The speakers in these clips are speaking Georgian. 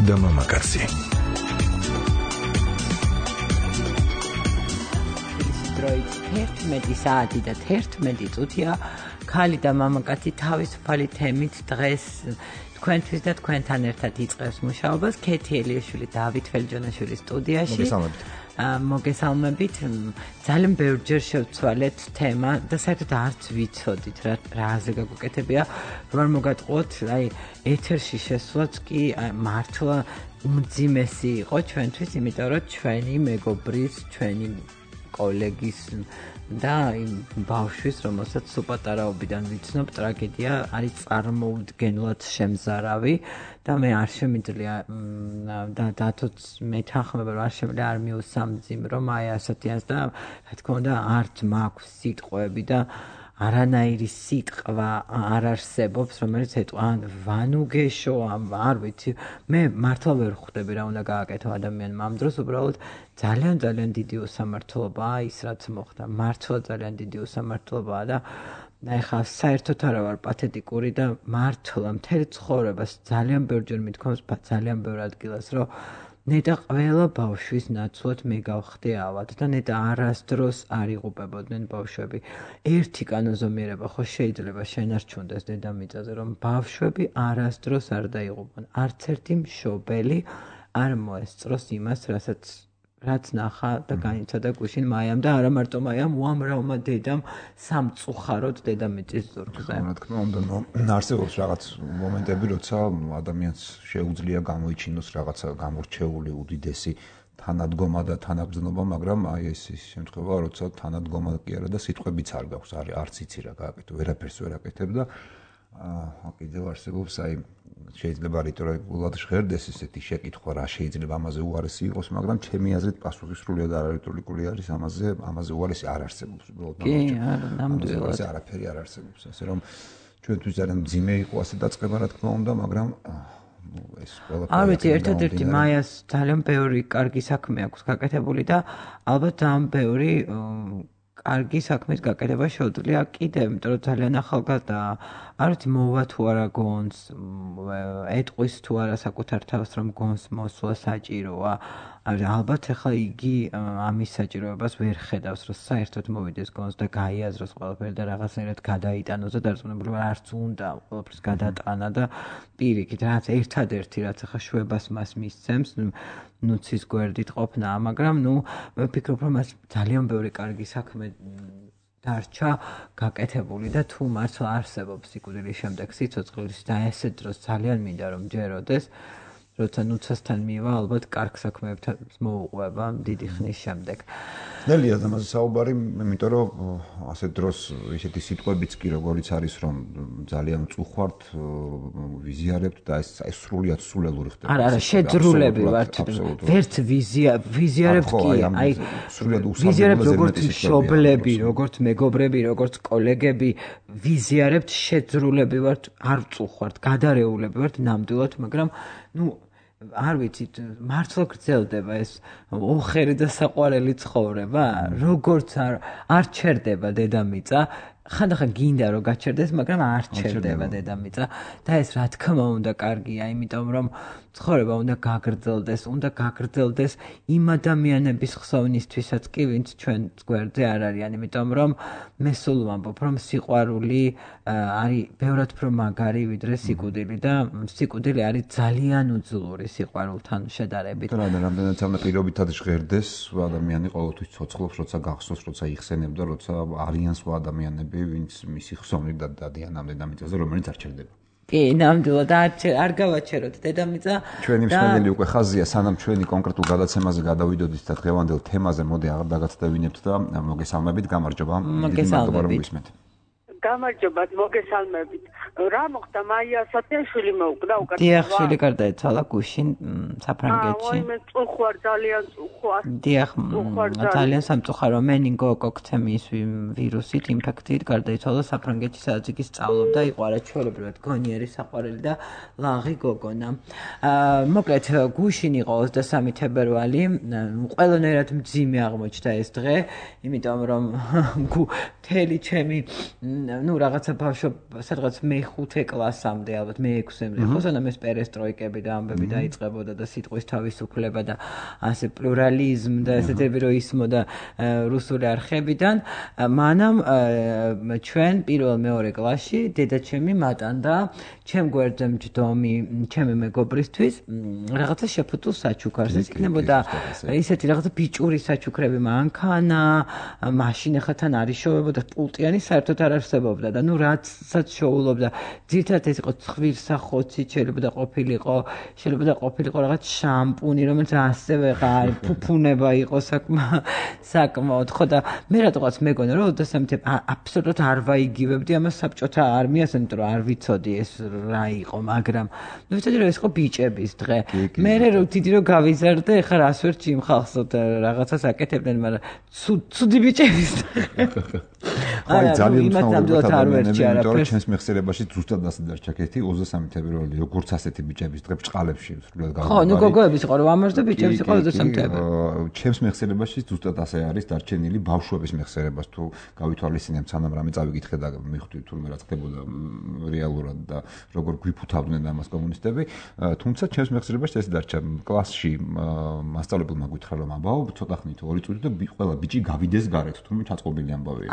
და მამაკაცი. დროით 11 საათი და 11 წუთია ქალი და მამაკაცი თავისუფალი თემით დღეს თქვენთვის და თქვენთან ერთად იწყებს მუშაობას. ქეთი ელიაშვილი, დავით ველჯონაშვილის სტუდიაში. მოგესალმებით. ძალიან ბევრჯერ შევცვალეთ თემა და საერთოდ არც ვიცოდით რაზე გაგვეკეთებია, რომ მოგატყუოთ, ეთერში შესვლაც კი მართლა უმძიმესი იყო ჩვენთვის, იმიტომ რომ ჩვენი მეგობრის, ჩვენი კოლეგის და იმ ბავშვის, რომელსაც სუპატარაობიდან ვიცნობ, ტრაგედია არის წარმოუდგენლად შემზარავი და მე არ შემიძლია და დათოც მეთანხმება, რომ არ შემიძლია არ მიუსამძიმრო აი ასეთიანს და რა თქმა უნდა არც მაქვს სიტყვები და არანაირი სიტყვა არ არსებობს, რომელიც ეტყვა ვანუგეშო, არ ვიცი, მე მართლა ვერ ხვდები რა უნდა გააკეთო ადამიანმა ამ დროს, უბრალოდ ძალიან დიდი უსამართლობაა ის, რაც მოხდა. მართლა ძალიან დიდი უსამართლობაა და ეხლა საერთოდ არა ვარ პათეტიკური და მართლა მთელი ცხოვრებას ძალიან ბევრჯერ მithქვამს ძალიან ბევრ ადგილას, რომ ნეტა ყველა ბავშვის ნაცვლად მე გავხდი ავად და ნეტა არასდროს არ იღუპებოდნენ ბავშვები. ერთი კანონზომიერება ხო შეიძლება შენარჩუნდეს დედამიწაზე, რომ ბავშვები არასდროს არ დაიღუპონ. არც ერთი მშობელი არ მოესწროს იმას, რაც ნახა და განიცადა გუშინ მაიამ და არა მარტო მაიამ, უამრავმა დედამ სამწუხაროდ დედამიწის ზურგზე. რა თქმა უნდა, არსებობს რაღაც მომენტები, როცა ადამიანს შეუძლია გამოიჩინოს რაღაცა გამორჩეული უდიდესი თანადგომა და თანაბრძნობა, მაგრამ აი ეს შემთხვევა, როცა თანადგომა კი არა და სიტყვებიც არ გაქვს, არც იცი რა გააკეთო, ვერაფერს ვერ აკეთებ და კიდევ არსებობს აი შეიძლება რიტორიკულად ჟღერდეს ესეთი შეკითხვა, რა შეიძლება ამაზე უარესი იყოს, მაგრამ ჩემი აზრით პასუხი სრულიად არარიტორიკული არის, ამაზე უარესი არ არსებობს უბრალოდ. კი, ნამდვილად. არაფერი არ არსებობს, ასე რომ ჩვენთვის ძალიან მძიმე იყო ასე დაწყება, რა თქმა უნდა, მაგრამ ეს ყველაფერი არ ვიცი, ერთადერთი მაიას ძალიან ბევრი კარგი საქმე აქვს გაკეთებული და ალბათ ძალიან ბევრი კარგი საქმის გაკეთება შეუძლია კიდევ, იმიტომ რომ ძალიან ახალგაზრდაა. არ ვიცი მოვა თუ არა გონს, ეტყვის თუ არა საკუთარ თავს, რომ გონს მოსვლა საჭიროა. ალბათ ახლა იგი ამის საჭიროებას ვერ ხედავს, რომ საერთოდ მოვიდეს გონს და გაიაზროს ყველაფერი და რაღაცნაირად გადაიტანოს და დარწმუნებული ვარ, არც უნდა ყველაფერს გადატანა და პირიქით, რაც ერთადერთი რაც ახლა შვებას მას მისცემს, ნუცის გვერდით ყოფნა, მაგრამ მე ვფიქრობ, რომ მას ძალიან ბევრი კარგი საქმე დარჩა გაკეთებული და თუ მართლა არსებობს სიკვდილის შემდეგ სიცოცხლის და ესე დროს ძალიან მინდა რომ ჯეროდეს, როცა ნუცასთან მივა, ალბათ კარგ საქმეებთან მოუყვება დიდი ხნის შემდეგ. ნელია ამაზე საუბარი, იმიტომ რომ ასეთ დროს ისეთი სიტყვებიც კი როგორიც არის, რომ ძალიან უწუხვართ, ვიზიარებთ და ეს სრულიად სულელური ხდება. არა, შეძრულები ვართ. ვერც ვიზიარებთ კი, აი სრულიად ვიზიარებთ როგორც მშობლები, როგორც მეგობრები, როგორც კოლეგები, ვიზიარებთ, შეძრულები ვართ, არ წუხვართ, გადარეულები ვართ ნამდვილად, მაგრამ არ ვიცით, მართლა გრძელდება ეს ოხერი და საყვარელი ცხოვრება, როგორც არ ჩერდება დედამიწა, ხანდახან გინდა რომ გაჩერდეს, მაგრამ არ ჩერდება დედამიწა და ეს რა თქმა უნდა კარგია, იმიტომ რომ ცხოვრება უნდა გაგრძელდეს იმ ადამიანების ხსოვნისთვისაც კი, ვინც ჩვენ გვერდზე არ არიან, იმიტომ რომ მე სულ ვამბობ, რომ სიყვარული არის ბევრად უფრო მაგარი ვიდრე სიკვდილი და სიკვდილი არის ძალიან უძლური სიყვარულთან შედარებით. რამდენიც ამ პირობითად ჟღერდეს, ადამიანი ყოველთვის ცოცხლობს, როცა გახსოვს, როცა იხსენებ და როცა არიან სხვა ადამიანები, ვინც მისი ხსოვნით დადიან ამ დედამიწაზე, რომელიც არ ჩერდება. კი, ნამდვილად არ გავაჩეროთ დედამიწა. ჩვენი მსმენელი უკვე ხაზია, სანამ ჩვენი კონკრეტულ გადაცემაზე გადავიდოდით და დღევანდელ თემაზე მოდი აღარ დაგაცდევინებთ და მოგესალმებით, გამარჯობა. მოგესალმებით. გამარჯობათ, მოგესალმებით. რა მოხდა, მაია სათიაშვილი მოუკვდა უკან. დიახ, შვილი გარდაეცვალა გუშინ საფრანგეთში. მე წუხვარ, ძალიან წუხვარ. დიახ, ძალიან სამწუხარო, მენინგოკოქცემიის ვირუსით, ინფექციით გარდაეცვალა საფრანგეთში, სადაც იგი სწავლობდა, იყო არაჩვეულებრივად გონიერი საყვარელი და ლაღი გოგონა. მოკლედ, გუშინ იყო 23 თებერვალი, ყველანაირად მძიმე აღმოჩნდა ეს დღე, იმიტომ რომ მთელი ჩემი ну რაღაცა ბავშვ სადღაც მე-5 კლასამდე, ალბათ მე-6-მდე, ხო, სანამ ეს პერესტროიკები და ამბები დაიწყებოდა და სიტყვის თავისუფლება და ასე პლურალიზმ და ესეთები რო ისმოდა რუსული არხებიდან, მანამ ჩვენ პირველ-მეორე კლასში დედაჩემი მატანდა ჩემ გვერდზე მჯდომი ჩემი მეგობრისთვის რაღაცა შეფუთულ საჩუქარს. ეს იქნებოდა ისეთი რაღაცა ბიჭური საჩუქრები, მანქანა, მაშინ ახლა თან არის შოვებოდა პულტიანი საერთოდ არ არსებობდა და ნუ რაცაც შოულობდა ძირთადად ეს იყო ცხვირსახოცი, შეიძლება ყოფილიყო რაღაც შამპუნი, რომელიც ასევე ფუფუნება იყო საკმაოდ ხო და მე რატოღაც მეგონა რომ ოდესმე აბსოლუტურად არ ვაიგივებდი ამას საბჭოთა არმიას, იმიტომ რომ არ ვიცოდი ეს რა იყო, მაგრამ ნუ ვიცოდი რომ ეს იყო ბიჭების დღე. მე რო დიდი რო გავიზარდე, ეხლა რას ვერ ჩიმ ხალხს რაღაცას აკეთებდნენ, მაგრამ ცუდი ბიჭების დღე. აი ძალიან მთავრად არ ვერჩი არაფერს. ჩემს მეხსიერებაში ზუსტად ასე დარჩა-კეთი 23 თებერვალი, როგორც ასეთი ბიჭების დღე ბჭყალებში სრულად გავიგე. ხო, ნუ გოგოების იყო რომ ამერს და ბიჭების იყო 23 თებერვალი. ჩემს მეხსიერებაში ზუსტად ასე არის დარჩენილი ბავშვების მეხსიერებას თუ გავითვალისწინებთ, სანამ რამე წავიკითხე და მივხვდი თურმე რა ხდებოდა რეალურად და როგორ გვიფუთავდნენ ამას კომუნისტები. თუმცა ჩემს მეხსიერებაში ეს დარჩა. კლასში მასწავლებელმა გითხრა რომ აბაო, ცოტა ხნით 2 წუთი და ყველა ბიჭი გავიდეს გარეთ, თურმე ჩაწყობილი ამბავია.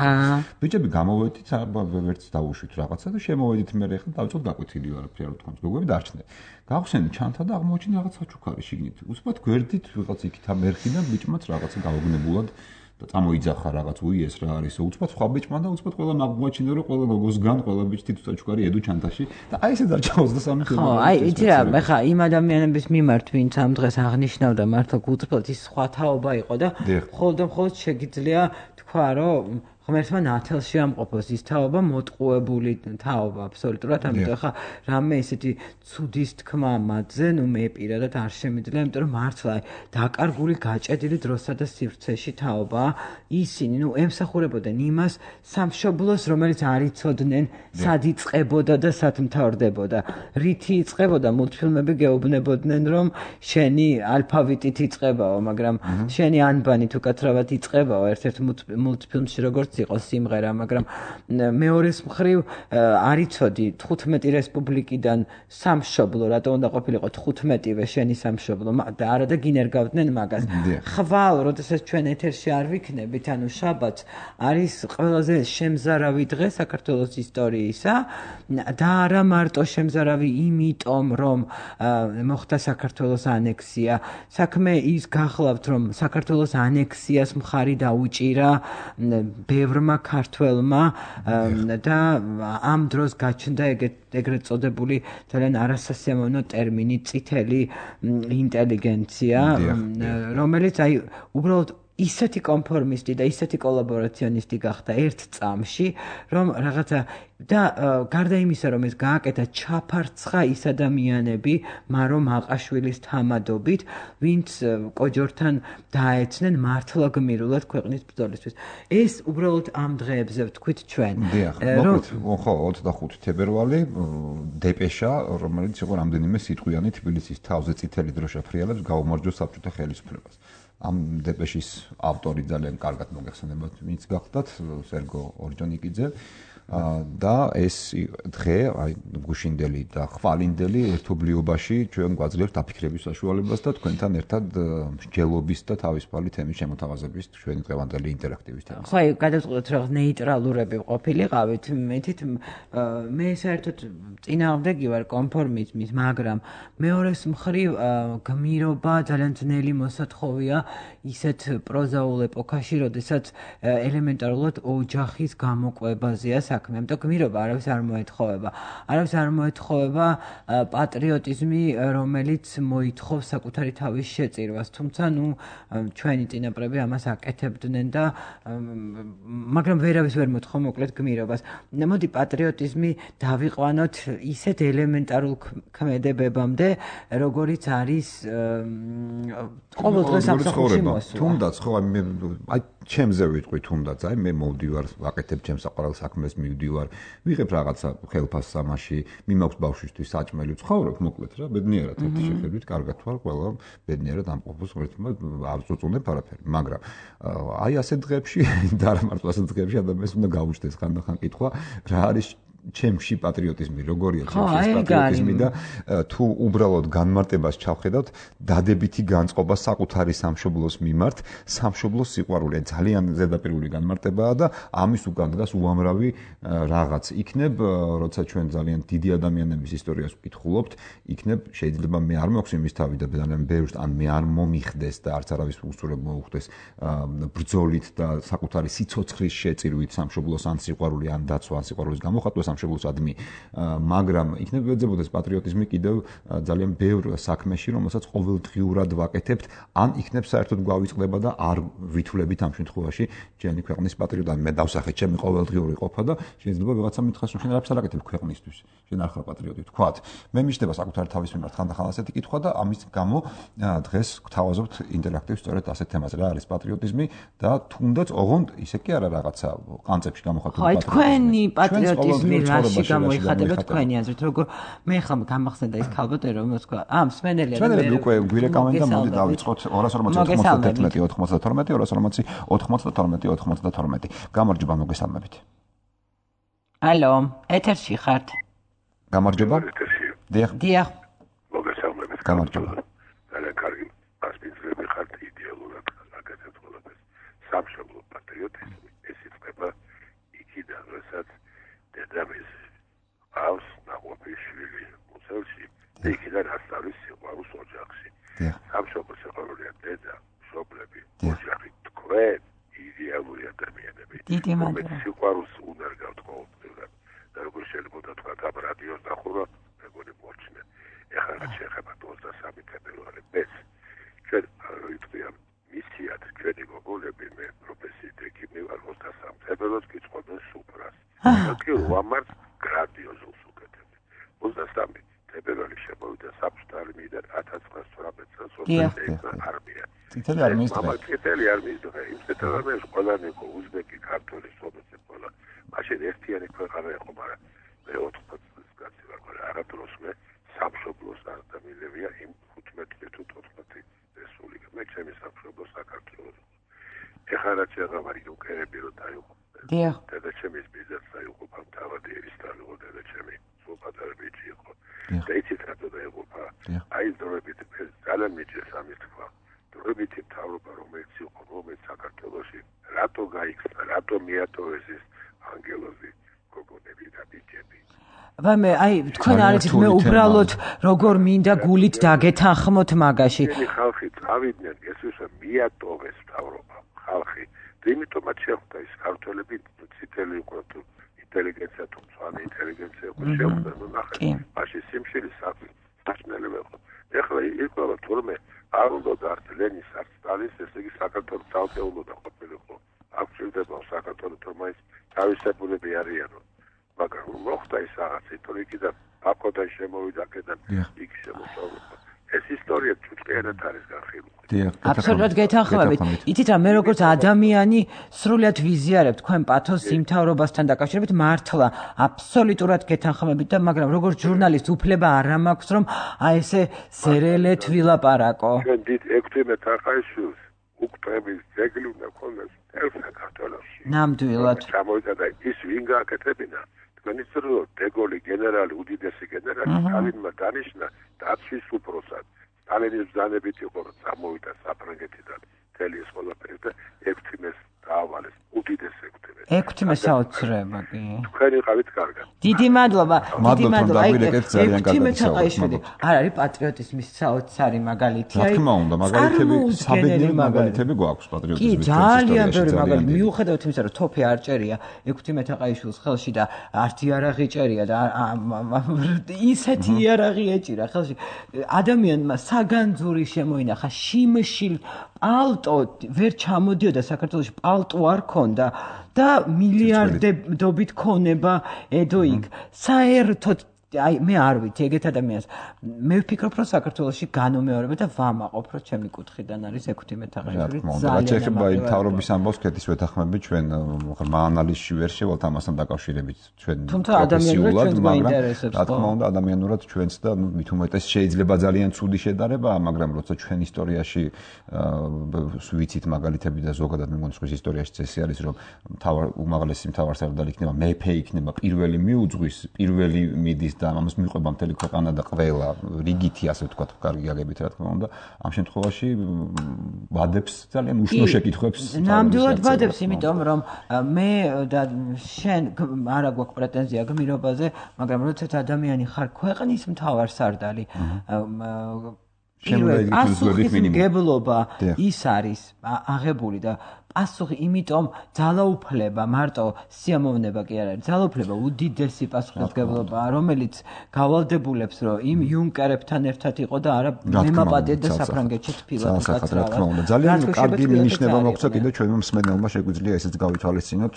ბიჭები გამოვედით, ვერც დავუშვით რაღაცა და შემოვედით მე ახლა დავწოთ გაკვეთილი არაფერი არ თქვა. გოგოები დარჩნენ. გავხსენე ჩანთა და აღმოჩინე რაღაც საჩუქარი შიგნით. უცბად გვერდით ვიღაც იქით ამ ერხიდან ბიჭმაც რაღაცა გავგნებულად და წამოიძახა რაღაც უიეს რა არის. უცბად სხვა ბიჭმა და უცბად ყველა აღმოჩინე რომ ყველა გოგოსგან ყველა ბიჭი თითო საჩუქარი ედო ჩანთაში და აი ესე დარჩა 23 თებერვალი. ხო, აი იცი რა, მე ხა იმ ადამიანების მიმართ ვინც ამ დღეს აღნიშნავდა მართლა გულწრფელად ის სხვა თაობა იყო და მხოლოდ შეგიძლია თქვა რომ ღმერთმა ნათელში ამყოფოს ის თაობა მოტყუებული თაობა აბსოლუტურად, ამიტომ ხა რამე ისეთი ცუდის თქმა მათზე, ნუ მე პირადად არ შემიძლია, იმიტომ რომ მართლა დაკარგული გაჭედილი დროსა და სივრცეში თაობა, ისინი ნუ ემსახურებოდნენ იმას სამშობლოს, რომელიც არ იცოდნენ, სად იწყებოდა და სად მთავრდებოდა. რითი იწყებოდა, მულტფილმები გეუბნებოდნენ, რომ შენი ალფავიტით იწყებაო, მაგრამ შენი ანბანი თუ კაცრავად იწყებაო ერთ-ერთ მულტფილმში როგორც იყო სიმღერა, მაგრამ მეორეს მხრივ არ იცოდი 15 რესპუბლიკიდან სამშობლო, რატო უნდა ყოფილიყო 15-ვე შენი სამშობლო და არა და გინერგავდნენ მაგას. ხვალ, როდესაც ჩვენ ეთერში არ ვიქნებით, ანუ შაბათს არის ყველაზე შემზარავი დღე საქართველოს ისტორიისა და არა მარტო შემზარავი იმიტომ, რომ მოხდა საქართველოს ანექსია. საქმე ის გახლავთ, რომ საქართველოს ანექსიას მხარი დაუჭირა ბევრმა ქართველმა და ამ დროს გაჩნდა ეგრეთ წოდებული ძალიან არასასიამოვნო ტერმინი წითელი ინტელიგენცია, რომელიც აი უბრალოდ ისეთი კონფორმისტი და ისეთი კოლაბორაციონისტი გახდა ერთ წამში, რომ რაღაცა და გარდა იმისა, რომ ეს გააკეთა ჩაფარცხა ის ადამიანები მარო მაყაშვილის თამადობით, ვინც კოჯორთან დაეცნენ მართლა გმირულად ქვეყნის ბრძოლისთვის. ეს უბრალოდ ამ დღეებზე ვთქვით ჩვენ. მოკლედ, ხო, 25 თებერვალი დეპეშა, რომელიც იყო რამდენიმე სიტყვიანი თბილისის თავზე წითელი დროშა ფრიალებს გაუმარჯოს საბჭოთა ხელისუფლებას. ამ დეპეშის ავტორი ძალიან კარგად მოგეხსენებათ, ვინც გახდათ, სერგო ორჯონიკიძე და ეს დღე, აი გუშინდელი და ხვალინდელი ერთობლიობაში ჩვენ გვაძლევთ დაფიქრების საშუალებას და თქვენთან ერთად მსჯელობის და თავისუფალი თემის შემოთავაზების ჩვენი დღევანდელი ინტერაქტივის თემა. ხო, აი გადავწყვეტთ რომ ნეიტრალურები ყოფილიყავით, მეთით მე საერთოდ წინააღმდეგი ვარ კონფორმიზმის, მაგრამ მეორეს მხრივ გმირობა ძალიან ძნელი მოსათხოვია ისეთ პროზაულ ეპოქაში, როდესაც ელემენტარულად ოჯახის გამოკვებაზეა საქმე, ამიტომ გმირობა არავის არ მოეთხოვება. არავის არ მოეთხოვება პატრიოტიზმი, რომელიც მოითხოვს საკუთარი თავის შეწირვას, თუმცა ნუ ჩვენი წინაპრები ამას აკეთებდნენ და მაგრამ ვერავის ვერ მოთხოვ მოკლედ გმირობას. მოდი პატრიოტიზმი დავიყვანოთ ისეთ ელემენტარულ ქმედებებამდე, როგორიც არის ყოველდღე სამსახურში მოსვლა. თუნდაც ხო აი ჩემზე ვიტყვი თუნდაც, აი მე მოვდივარ, ვაკეთებ ჩემს საყვარელ საქმეს, მივდივარ, ვიღებ რაღაცა ხელფას სამაში, მიმაქვს ბავშვისთვის საჭმელი ვცხოვრობ, მოკლედ რა, ბედნიერად ერთი შეხედვით, კარგად ვარ, ყველა ბედნიერად ამყოფობს ღმერთმა, არ წუწუნებ არაფერი, მაგრამ აი ასეთ დღეებში და არა მარტო ასეთ დღეებში ადამიანს უნდა გაუჩნდეს ხანდახან კითხვა, რა არის ჩემში პატრიოტიზმი, როგორია ჩემში პატრიოტიზმი და თუ უბრალოდ განმარტებას ჩავხედავთ, დადებითი განწყობა საკუთარი სამშობლოს მიმართ, სამშობლოს სიყვარული ძალიან ზედაპირული განმარტებაა და ამის უკან დგას უამრავი რაღაც. იქნებ, როცა ჩვენ ძალიან დიდი ადამიანების ისტორიას ვკითხულობთ, იქნებ შეიძლება მე არ მაქვს იმის თავი და ძალიან ბევრს ან მე არ მომიხდეს და არც არავის უსწრებ მოუხდეს ბრძოლით და საკუთარი სიცოცხლის შეწირვით სამშობლოს ან სიყვარული ან დაცვა ან სიყვარულის გამოხატვა სამშობლოსადმი, მაგრამ იქნებ ეძებოდეს პატრიოტიზმი კიდევ ძალიან ბევრ საქმეში, რომელსაც ყოველდღიურად ვაკეთებთ, ან იქნებ საერთოდ გვავიწყდება და არ ვითვლებით ამ შემთხვევაში ჩვენი ქვეყნის პატრიოტად. მე დავსახეთ ჩემი ყოველდღიური ყოფა და შეიძლება ვიღაცა მითხას, რომ შენ არაფერს არ აკეთებ ქვეყნისთვის, შენ არ ხარ პატრიოტი, ვთქვათ. მე მიჩნდება საკუთარი თავის მიმართ ხანდახან ასეთი კითხვა და ამის გამო დღეს გთავაზობთ ინტერაქტივს სწორედ ასეთ თემაზე, რა არის პატრიოტიზმი და თუნდაც ოღონდ ისე კი არა რაღაცა კანცეფში გამოხატული პატრიოტიზმი. თქვენი პატრიოტიზმი რაში გამოიხატება თქვენი აზრით, როგორ მე ხომ გამახსენდა ის ქალბატონი, რომელიც თქვა, მსმენელია და მე უკვე გვირეკავენ და მოდი დავიწყოთ 240-91-92. გამარჯობა, მოგესალმებით. ალო, ეთერში ხართ? გამარჯობა. დიახ. მოგესალმებით. გამარჯობა. ძალიან კარგი პასპინძლები ხართ იდეალურად აკეთებთ ყველაფერს. სამშობლო პატრიოტიზმი ეს იწყება იქიდან, როდესაც დედამის ყავს ნაყოფი შვილი მუცელში და იქიდან ასწავლის სიყვარულს ოჯახში. სამშობლო სიყვარულია დედა, მშობლები, ოჯახი, თქვენ იდეალური ადამიანები. რომელიც სიყვარულს უნდა გავთხოვოთ და როგორ შეიძლება თქვა ამ რადიოს ნახულობა მეგონი მოჩნე. ეხლა რაც შეეხება 23 თებერვალს ეს ჩვენ ვიტყვია მისიად ჩვენი გოგონები მე პროფესიით ეკიმი ვარ 23 თებერვალს გიწყობენ სუპრას. კი ვამართ გრანდიოზულს უკეთებთ. 23 თებერვალი შემოვიდა საბჭოთა არმიიდან 1918 წელს არმია. წითელი არმიის დღე. წითელი არმიის დღე. იმ წითელ არმიაში ყველანი იყო უზბეკი, ქართველი, სლოვენი ყველა. მაშინ ერთიანი ქვეყანა იყო, მაგრამ მე 80 წელს კაცი ვარ, მაგრამ არადროს მე სამშობლოს არ დამილევია იმ 15 თუ 14 რესპუბლიკა. მე ჩემი სამშობლო საქართველოს. ეხლა რაც შეღავარი უკერები რო დაიყო. დიახ. და ჩემის ბიზნესს დაიყო თავად ერისთავი და ჩემი სულ პატარა ბიჭი იყო. და იცით რატო დაიყო? აი დროებით ძალიან მიჭირს ამის თქვა. დროებით მთავრობა რომელიც იყო, რომელიც საქართველოში რატო გაიქცა, რატო მიატოვეს ეს ანგელოზი გოგონები და ბიჭები. მე აი თქვენ არიცით მე უბრალოდ როგორ მინდა გულით დაგეთანხმოთ მაგაში. ხალხი წავიდნენ, ეს ისე მიატოვეს მთავრობა, ხალხი. იმიტომაც შეხვდა ის ქართველები ციტელი იყო თუ ინტელიგენცია თუ მწვანე ინტელიგენცია იყო შეხვდა ნუ ნახე. მაშინ სიმშილის საჭმელები იყო. ეხლა იყო თურმე არ უნდა დართ ლენის არ სტალის ესე იგი საქართველოს ძალწეულო და ყოფილიყო. აქ შეიძლება საქართველოს თორმაის თავისებურები არიანო. მაგრამ მოხდა ის რაღაც ისტორიკი და აკოდან შემოვიდა აქედან იქ შემოსავლა. ეს ისტორია ჩუჭყიანად არის განხილული. აბსოლუტურად გეთანხმებით. იცით რა, მე როგორც ადამიანი სრულად ვიზიარებ თქვენ პათოს იმთავრობასთან დაკავშირებით მართლა აბსოლუტურად გეთანხმებით და მაგრამ როგორც ჟურნალისტ უფლება არ მაქვს რომ აი ესე ზერელეთ ვილაპარაკო. ჩვენ დიდ 16 ახალშვილს უკტების ძეგლი უნდა ქონდეს ერთ საქართველოში. ნამდვილად. ჩამოვიდა და ის ვინ გააკეთებინა? თქვენი წრო დეგოლი გენერალი უდიდესი გენერალი სტალინმა დანიშნა დაცვის უფროსად. სტალინის ბრძანებით იყო რომ წამოვიდა საფრანგეთიდან მთელი ეს ყველაფერი და 16-ს დაავალეს უდიდეს 16-ს. 16 საოცრება კი. თქვენ იყავით კარგად. დიდი მადლობა. დიდი მადლობა. აი 16 აიშვიდი. არ არის პატრიოტიზმის საოცარი მაგალითი. რა თქმა უნდა, მაგალითები, საბედნიერო მაგალითები გვაქვს პატრიოტიზმის. კი, ძალიან ბევრი მაგალითი. მიუხედავად იმისა, რომ თოფი არ ჭერია 16 აყაიშვილის ხელში და არც იარაღი ჭერია და ისეთი იარაღი ეჭირა ხელში. ადამიანმა საგანძური შემოინახა შიმშილ პალტო ვერ ჩამოდიოდა საქართველოში პალტო არ ქონდა და მილიარდობით ქონება ედო იქ საერთოდ აი მე არ ვიცი ეგეთ ადამიანს მე ვფიქრობ რომ საქართველოში განუმეორება და ვამაყობ რომ ჩემი კუთხიდან არის 16 თაღაშვილი ძალიან შეიძლება იმ თავრობის ამბავს კეთის ვეთანხმები ჩვენ ღრმა ანალიზში ვერ შევალთ ამასთან დაკავშირებით ჩვენ პროფესიულად მაგრამ რა თქმა უნდა ადამიანურად ჩვენც და მით უმეტეს შეიძლება ძალიან ცუდი შედარებაა მაგრამ როცა ჩვენ ისტორიაში ვიცით მაგალითები და ზოგადად მე მგონი სხვის ისტორიაში წესი არის რომ უმაღლესი მთავარსარდალი იქნება მეფე იქნება პირველი მიუძღვის პირველი მიდის და ამას მიყვება მთელი ქვეყანა და ყველა რიგითი ასე ვთქვათ კარგი გაგებით რა თქმა უნდა ამ შემთხვევაში ვადებს ძალიან უშნო შეკითხვებს ნამდვილად ვადებს იმიტომ რომ მე და შენ არა გვაქვს პრეტენზია გმირობაზე მაგრამ როდესაც ადამიანი ხარ ქვეყნის მთავარსარდალი გებლობა ის არის აღებული და პასუხი იმიტომ ძალაუფლება მარტო სიამოვნება კი არ არის ძალაუფლება უდიდესი პასუხისმგებლობაა რომელიც გავალდებულებს რომ იმ იუნკერებთან ერთად იყო და არა მემაპატეთ და საფრანგეთში თბილად გაცრავა ძალიან კარგი მინიშნება მოგვცა კიდე ჩვენმა მსმენელმა შეგვიძლია ესეც გავითვალისწინოთ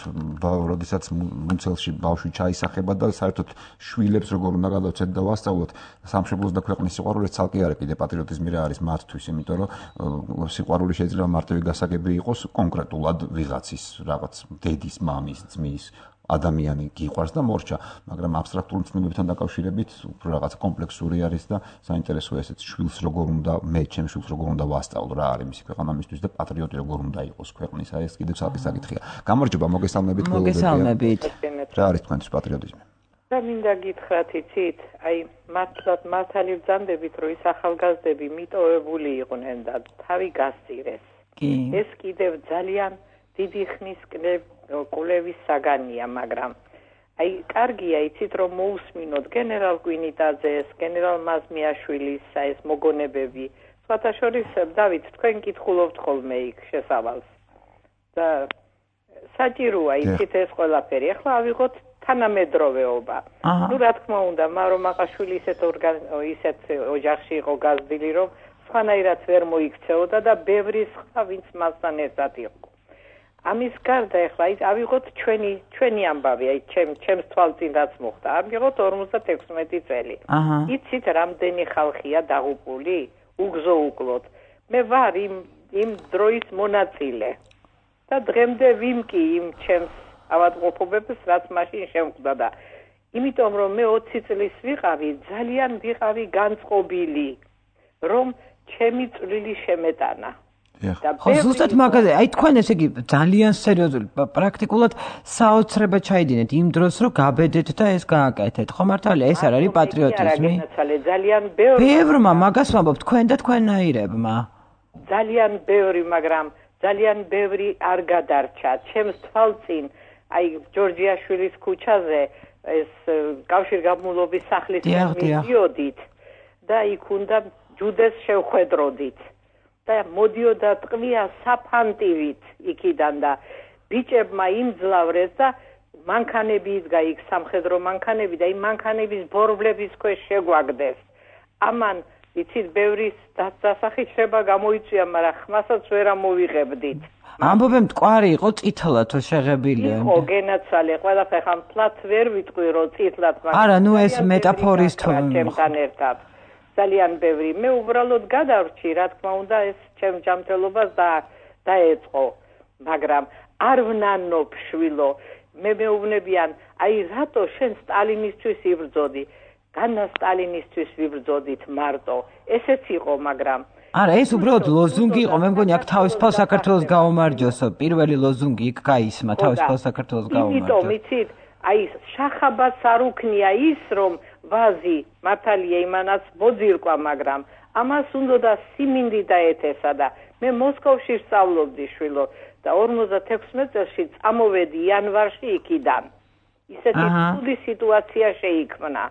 როდესაც მუნცელში ბავშვი ჩაისახება და საერთოდ შვილებს როგორ უნდა გადავცეთ და ვასწავლოთ სამშობლოს და ქვეყნის სიყვარული ცალკე არა კიდე პატრიოტიზმი რა არის მათთვის იმიტომ რომ სიყვარული შეიძლება მარტივი გასაგები იყოს კონკრეტულად ვიღაცის რაღაც დედის, მამის, ძმის ადამიანი გიყვარს და მორჩა, მაგრამ აბსტრაქტული ცნობებთან დაკავშირებით უფრო რაღაც კომპლექსური არის და საინტერესოა ესეც შვილს როგორ უნდა მე ჩემს შვილს როგორ უნდა ვასწავლო რა არის მისი ქვეყანა მისთვის და პატრიოტი როგორ უნდა იყოს ქვეყნის აი ეს კიდევ ცალკე საკითხია. გამარჯობა, მოგესალმებით მოგესალმებით. რა არის თქვენთვის პატრიოტიზმი? და მინდა გითხრათ იცით, აი მართლაც მართალი ვძანდებით რომ ის ახალგაზრდები მიტოვებული იყვნენ და თავი გასწირეს. ეს კიდევ ძალიან დიდი ხნის კვლევის საგანია, მაგრამ აი კარგია იცით რომ მოусმინოთ გენერალ კვინიტაძეს, გენერალ მაზმიაშვილის ეს მოგონებები. სხვათა შორის დავით თქვენ კითხულობთ ხოლმე იქ შესავალს. და საჭიროა იცით ეს ყველაფერი. ახლა ავიღოთ თანამედროვეობა. ნუ რა თქმა უნდა, მარო მაყაშვილი ისეთ ოჯახში იყო გაზრდილი რომ სხვანაირად ვერ მოიქცეოდა და ბევრი სხვა ვინც მასთან ერთად იყო. ამის გარდა ახლა ავიღოთ ჩვენი ამბავი, აი ჩემს თვალწინ რაც მოხდა. ავიღოთ 56 წელი. იცით რამდენი ხალხია დაღუპული? უგზოუკლოდ. მე ვარ იმ დროის მონაწილე. და დღემდე ვიმკი იმ ჩემს ავადმყოფობებს რაც მაშინ შემკვდა და იმიტომ რომ მე 20 წლის ვიყავი, ძალიან ვიყავი განწყობილი, რომ ჩემი წვლილი შემეტანა. ხო, ზუსტად მაგაზე, აი თქვენ ესე იგი ძალიან სერიოზული, პრაქტიკულად საოცრება ჩაიდინეთ იმ დროს, რომ გაბედეთ და ეს გააკეთეთ. ხო მართალია, ეს არ არის პატრიოტიზმი? ძალიან ბევრი. ბევრმა მაგას ვამბობ, თქვენ და თქვენნაირებმა. ძალიან ბევრი, მაგრამ ძალიან ბევრი არ გადარჩა. ჩემს თვალწინ, აი ჯორჯიაშვილის ქუჩაზე ეს კავშირგაბმულობის სახლის მიდიოდით და იქ უნდა ჯუდეს შევხვედროდით. და მოდიოდა ტყვია საფანტივით იქიდან და ბიჭებმა იმძლავრეს და მანქანები იდგა იქ სამხედრო მანქანები და იმ მანქანების ბორბლების ქვეშ შეგვაგდეს. ამან იცით ბევრი დასახით შება გამოიწვია, მაგრამ ხმასაც ვერ ამოვიღებდით. ამბობენ მტკვარი იყო წითლათო შეღებილი. იყო გენაცვალე, ყველაფერი ხან ფლათ ვერ ვიტყვი რომ წითლად მაგრამ არა, ნუ ეს მეტაფორის ჩემთან ერთად. ძალიან ბევრი. მე უბრალოდ გადავრჩი, რა თქმა უნდა, ეს ჩემ ჯანმრთელობას დაეწყო, მაგრამ არ ვნანობ შვილო. მე მეუბნებიან, აი რატო შენ სტალინისთვის იბრძოდი? განა სტალინისთვის ვიბრძოდით მარტო. ესეც იყო, მაგრამ არა, ეს უბრალოდ ლოზუნგი იყო. მე მგონი აქ თავისუფალ საქართველოს გაუმარჯოსო. პირველი ლოზუნგი იქ გაისმა თავისუფალ საქართველოს გაუმარჯოსო. იმიტომ იცით, აი შახაბას არ უქნია ის რომ ვაზი მართალია იმანაც მოძირკვა, მაგრამ ამას უნდა სიმინდი დაეთესა და მე მოსკოვში ვსწავლობდი შვილო და 56 წელში წამოვედი იანვარში იქიდან. ისეთი ცუდი სიტუაცია შეიქმნა.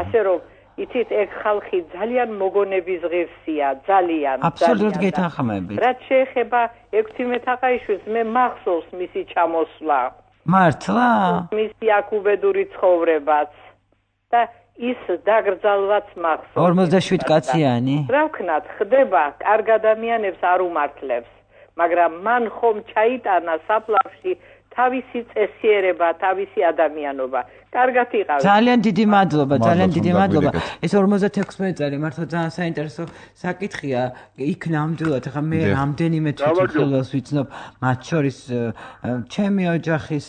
ასე რომ იცით ეგ ხალხი ძალიან მოგონების ღირსია, ძალიან. აბსოლუტურად გეთანხმებით. რაც შეეხება 16 თაყაიშვილს, მე მახსოვს მისი ჩამოსვლა. მართლა? მისი აქუბედური ცხოვრებაც. და ის დაგრძალვაც მახსოვს. 47 კაციანი. რა ვქნათ, ხდება, კარგ ადამიანებს არ უმართლებს, მაგრამ მან ხომ ჩაიტანა საფლავში თავისი წესიერება, თავისი ადამიანობა. კარგად იყავით. ძალიან დიდი მადლობა, ძალიან დიდი მადლობა. ეს 56 წელი მართლა ძალიან საინტერესო საკითხია. იქ ნამდვილად ახლა მე რამდენიმე თვითმხილველს ვიცნობ, მათ შორის ჩემი ოჯახის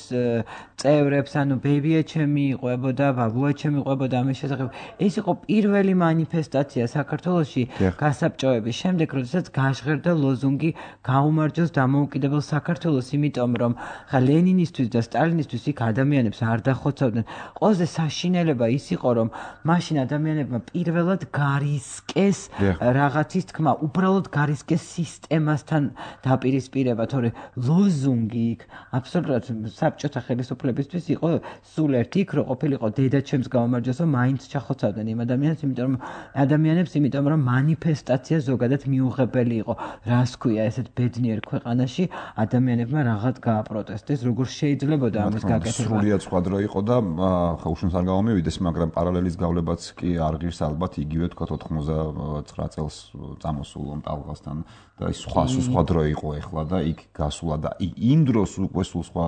წევრებს, ანუ ბებიაჩემი იყვებოდა, ბაბუაჩემი იყვებოდა ამის შესახებ. ეს იყო პირველი მანიფესტაცია საქართველოში გასაბჭოების შემდეგ, როდესაც გაჟღერდა ლოზუნგი გაუმარჯოს დამოუკიდებელ საქართველოს, იმიტომ რომ ხა ლენინისთვის და სტალინისთვის იქ ადამიანებს არ დახოცავდნენ. ყველაზე საშინელება ის იყო, რომ მაშინ ადამიანებმა პირველად გარისკეს რაღაცის თქმა, უბრალოდ გარისკეს სისტემასთან დაპირისპირება, თორე ლოზუნგი იქ აბსოლუტურად საბჭოთა ხელისუფლებისთვის იყო სულ ერთი, იქ რო ყოფილიყო დედაჩემს გაუმარჯოსო, მაინც ჩახოცავდნენ იმ ადამიანებს, იმიტომ რომ მანიფესტაცია ზოგადად მიუღებელი იყო. რას ქვია ესეთ ბედნიერ ქვეყანაში ადამიანებმა რაღაც გააპროტესტეს, როგორ შეიძლებოდა ამის გაკეთება. სრულიად სხვა დრო იყო და ხა უშუნს არ გამომივიდეს, მაგრამ პარალელის გავლებაც კი არ ღირს ალბათ იგივე თქვა 99 წელს წამოსულ ტალღასთან და ის სხვა დრო იყო ეხლა და იქ გასულა და იმ დროს უკვე სულ სხვა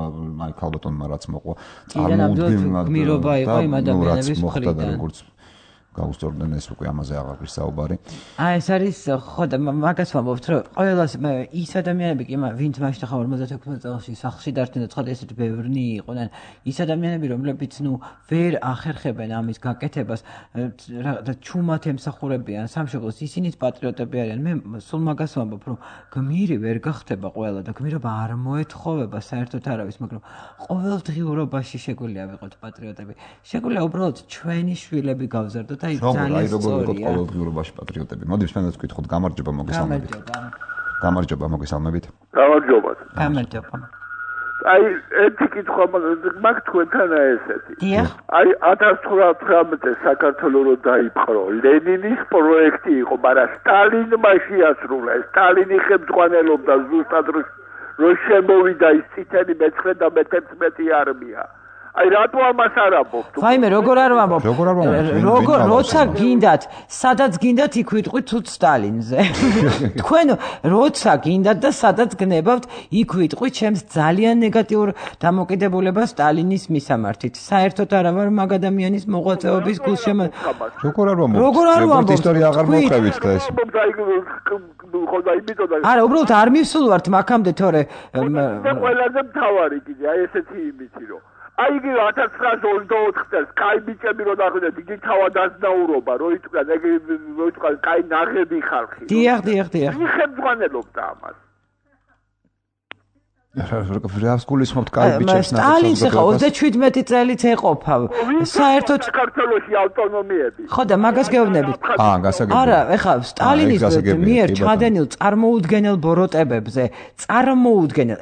აი ქალბატონმა რაც მოყვა წარმოუდგენლად გმირობა იყო იმ ადამიანების მხრიდან. გაუსწორდნენ ეს უკვე ამაზე აღარ ღირს საუბარი. ეს არის ხო და მაგას ვამბობთ, რომ ყველას ის ადამიანები კი ვინც მაშინ ხა 56 წელში სახლში დარჩნენ და ცხადია ესეთი ბევრნი იყვნენ. ის ადამიანები, რომლებიც ვერ ახერხებენ ამის გაკეთებას და ჩუმად ემსახურებიან სამშობლოს, ისინიც პატრიოტები არიან. მე სულ მაგას ვამბობ, რომ გმირი ვერ გახდება ყველა და გმირობა არ მოეთხოვება საერთოდ არავის, მაგრამ ყოველდღიურობაში შეგვიძლია ვიყოთ პატრიოტები. შეგვიძლია უბრალოდ ჩვენი შვილები გავზარდოთ. აი როგორ ვიყოთ ყოველდღიურობაში პატრიოტები. მოდით მე ვკითხოთ, გამარჯობა, მოგესალმებით. გამარჯობა, მოგესალმებით. გამარჯობა. გამარჯობა. აი ერთი კითხვა მაგ თქვენთან ესეთი. დიახ. აი 1919 საქართველოს რო დაიპყრო, ლენინის პროექტი იყო, მაგრამ სტალინმა შეასრულა. სტალინი ხელმძღვანელობდა ზუსტად რო შემოვიდა ის წითელი მე-9 და მე-11 არმია. აი რატო ამას არ ამბობთ? ვაიმე, როგორ არ ვამბობ? როცა გინდათ, სადაც გინდათ იქ ვიტყვით თუ სტალინზე. თქვენ როცა გინდათ და სადაც გნებავთ, იქ ვიტყვით ჩემს ძალიან ნეგატიურ დამოკიდებულებას სტალინის მისამართით. საერთოდ არა ვარ მაგ ადამიანის მოღვაწეობის გულშემო. როგორ არ ვამბობთ? ისტორია აღარ მოხევით და ეს. არა, უბრალოდ არ მივსულვართ მაგამდე, თორე ყველაზე მთავარი კიდე აი ესეთი იმითი რომ აი იგი 1924 წელს კაი ბიჭები რო დახვიდეთ, იგი თავად ასნაურობა, რო იტყვა, კაი ნაღები ხალხი. დიახ. ვინ ხელმძღვანელობდა ამას? რას გულისხმობთ კაი ბიჭებს ნახეთ? სტალინს ხა 37 წელიც ეყოფა. საერთოდ საქართველოში ავტონომიები. ხო და მაგას გეუბნებით. გასაგებია. არა, ეხლა სტალინის მიერ ჩადენილ წარმოუდგენელ ბოროტებებზე,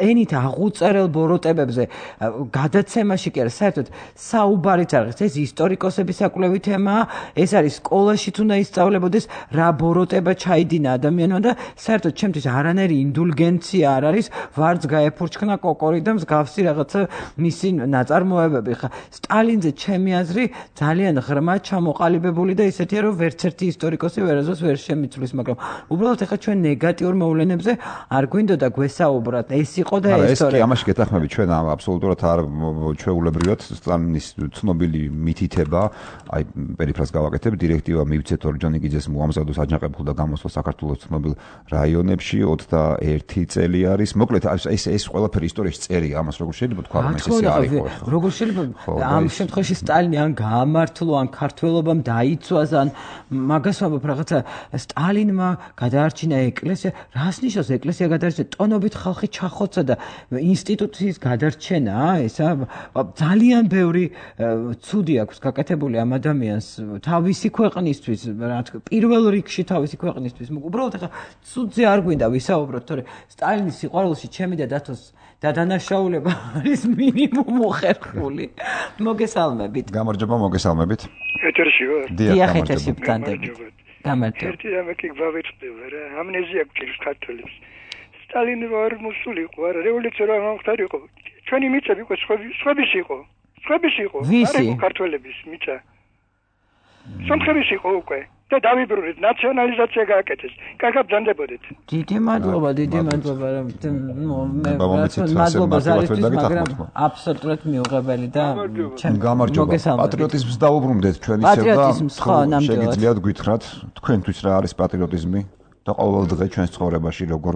ენით აღუწერელ ბოროტებებზე გადაცემაში კი არა, საერთოდ საუბარიც არ არის. ეს ისტორიკოსების საკვლევი თემაა, ეს არის სკოლაშიც უნდა ისწავლებოდეს რა ბოროტება ჩაიდინა ადამიანმა და საერთოდ ჩემთვის არანაირი ინდულგენცია არ არის, ვარც ფურჩქნა კოკორი და მსგავსი რაღაცა მისი ნაწარმოებები. ხა სტალინზე ჩემი აზრი ძალიან ღრმა ჩამოყალიბებული და ისეთია, რომ ვერც ერთი ისტორიკოსი ვერაზოს ვერ შემიცვლის, მაგრამ უბრალოდ ახლა ჩვენ ნეგატიურ მოვლენებზე არ გვინდოდა გვესაუბროთ. ეს იყო და ეს თორე. ეს კი ამაში გეთანხმებით, ჩვენ აბსოლუტურად არ ჩვეულებრივად სტალინის ცნობილი მითითება, აი პერიფრას გავაკეთებ, დირექტივა მივცეთ ორჯონიკიძეს მოამზადოს აჯანყებულ და გამოსვლას საქართველოს ცნობილ რაიონებში 21 წელი არის. მოკლედ ეს ყველაფერი ისტორიაში წერია, ამას როგორ შეიძლება თქვა, რომ ეს არ იყო. როგორ შეიძლება ამ შემთხვევაში სტალინი ან გაამართლო, ან ქართველობამ დაიცვას, ან მაგას ვამბობ, რაღაცა სტალინმა გადაარჩინა ეკლესია. რას ნიშნავს ეკლესია გადაარჩინა? ტონობით ხალხი ჩახოცა და ინსტიტუციის გადარჩენა, ესა ძალიან ბევრი ცუდი აქვს გაკეთებული ამ ადამიანს თავისი ქვეყნისთვის, რა თქმა უნდა, პირველ რიგში თავისი ქვეყნისთვის. უბრალოდ ახლა ცუდზე არ გვინდა ვისაუბროთ, თორე სტალინის სიყვარულში ჩემი და და დანაშაულება არის მინიმუმ მოხერხული. მოგესალმებით. გამარჯობა, მოგესალმებით. ეთერში ვარ? დიახ, ეთერში ვგანდებით. გამარჯობა. ერთი რამე კი გვავეწყდება რა, ამნეზია გვჭირს ქართველებს. სტალინი არ მოსულიყო, არა, რევოლუცია რა მომხდარიყო. ჩვენი მიწები იყო სხვების იყო. ვისი? ქართველების მიწა. სომხების იყო უკვე. და დავიბრუნეთ ნაციონალიზაცია გააკეთეს. კარგად ბრძანდებოდეთ. დიდი მადლობა მადლობა ზარისთვის, მაგრამ აბსოლუტურად მიუღებელი და გამარჯობა. პატრიოტიზმს დაუბრუნდეთ ჩვენ ისევ და შეგიძლიათ გითხრათ თქვენთვის რა არის პატრიოტიზმი და ყოველ დღე ჩვენს ცხოვრებაში როგორ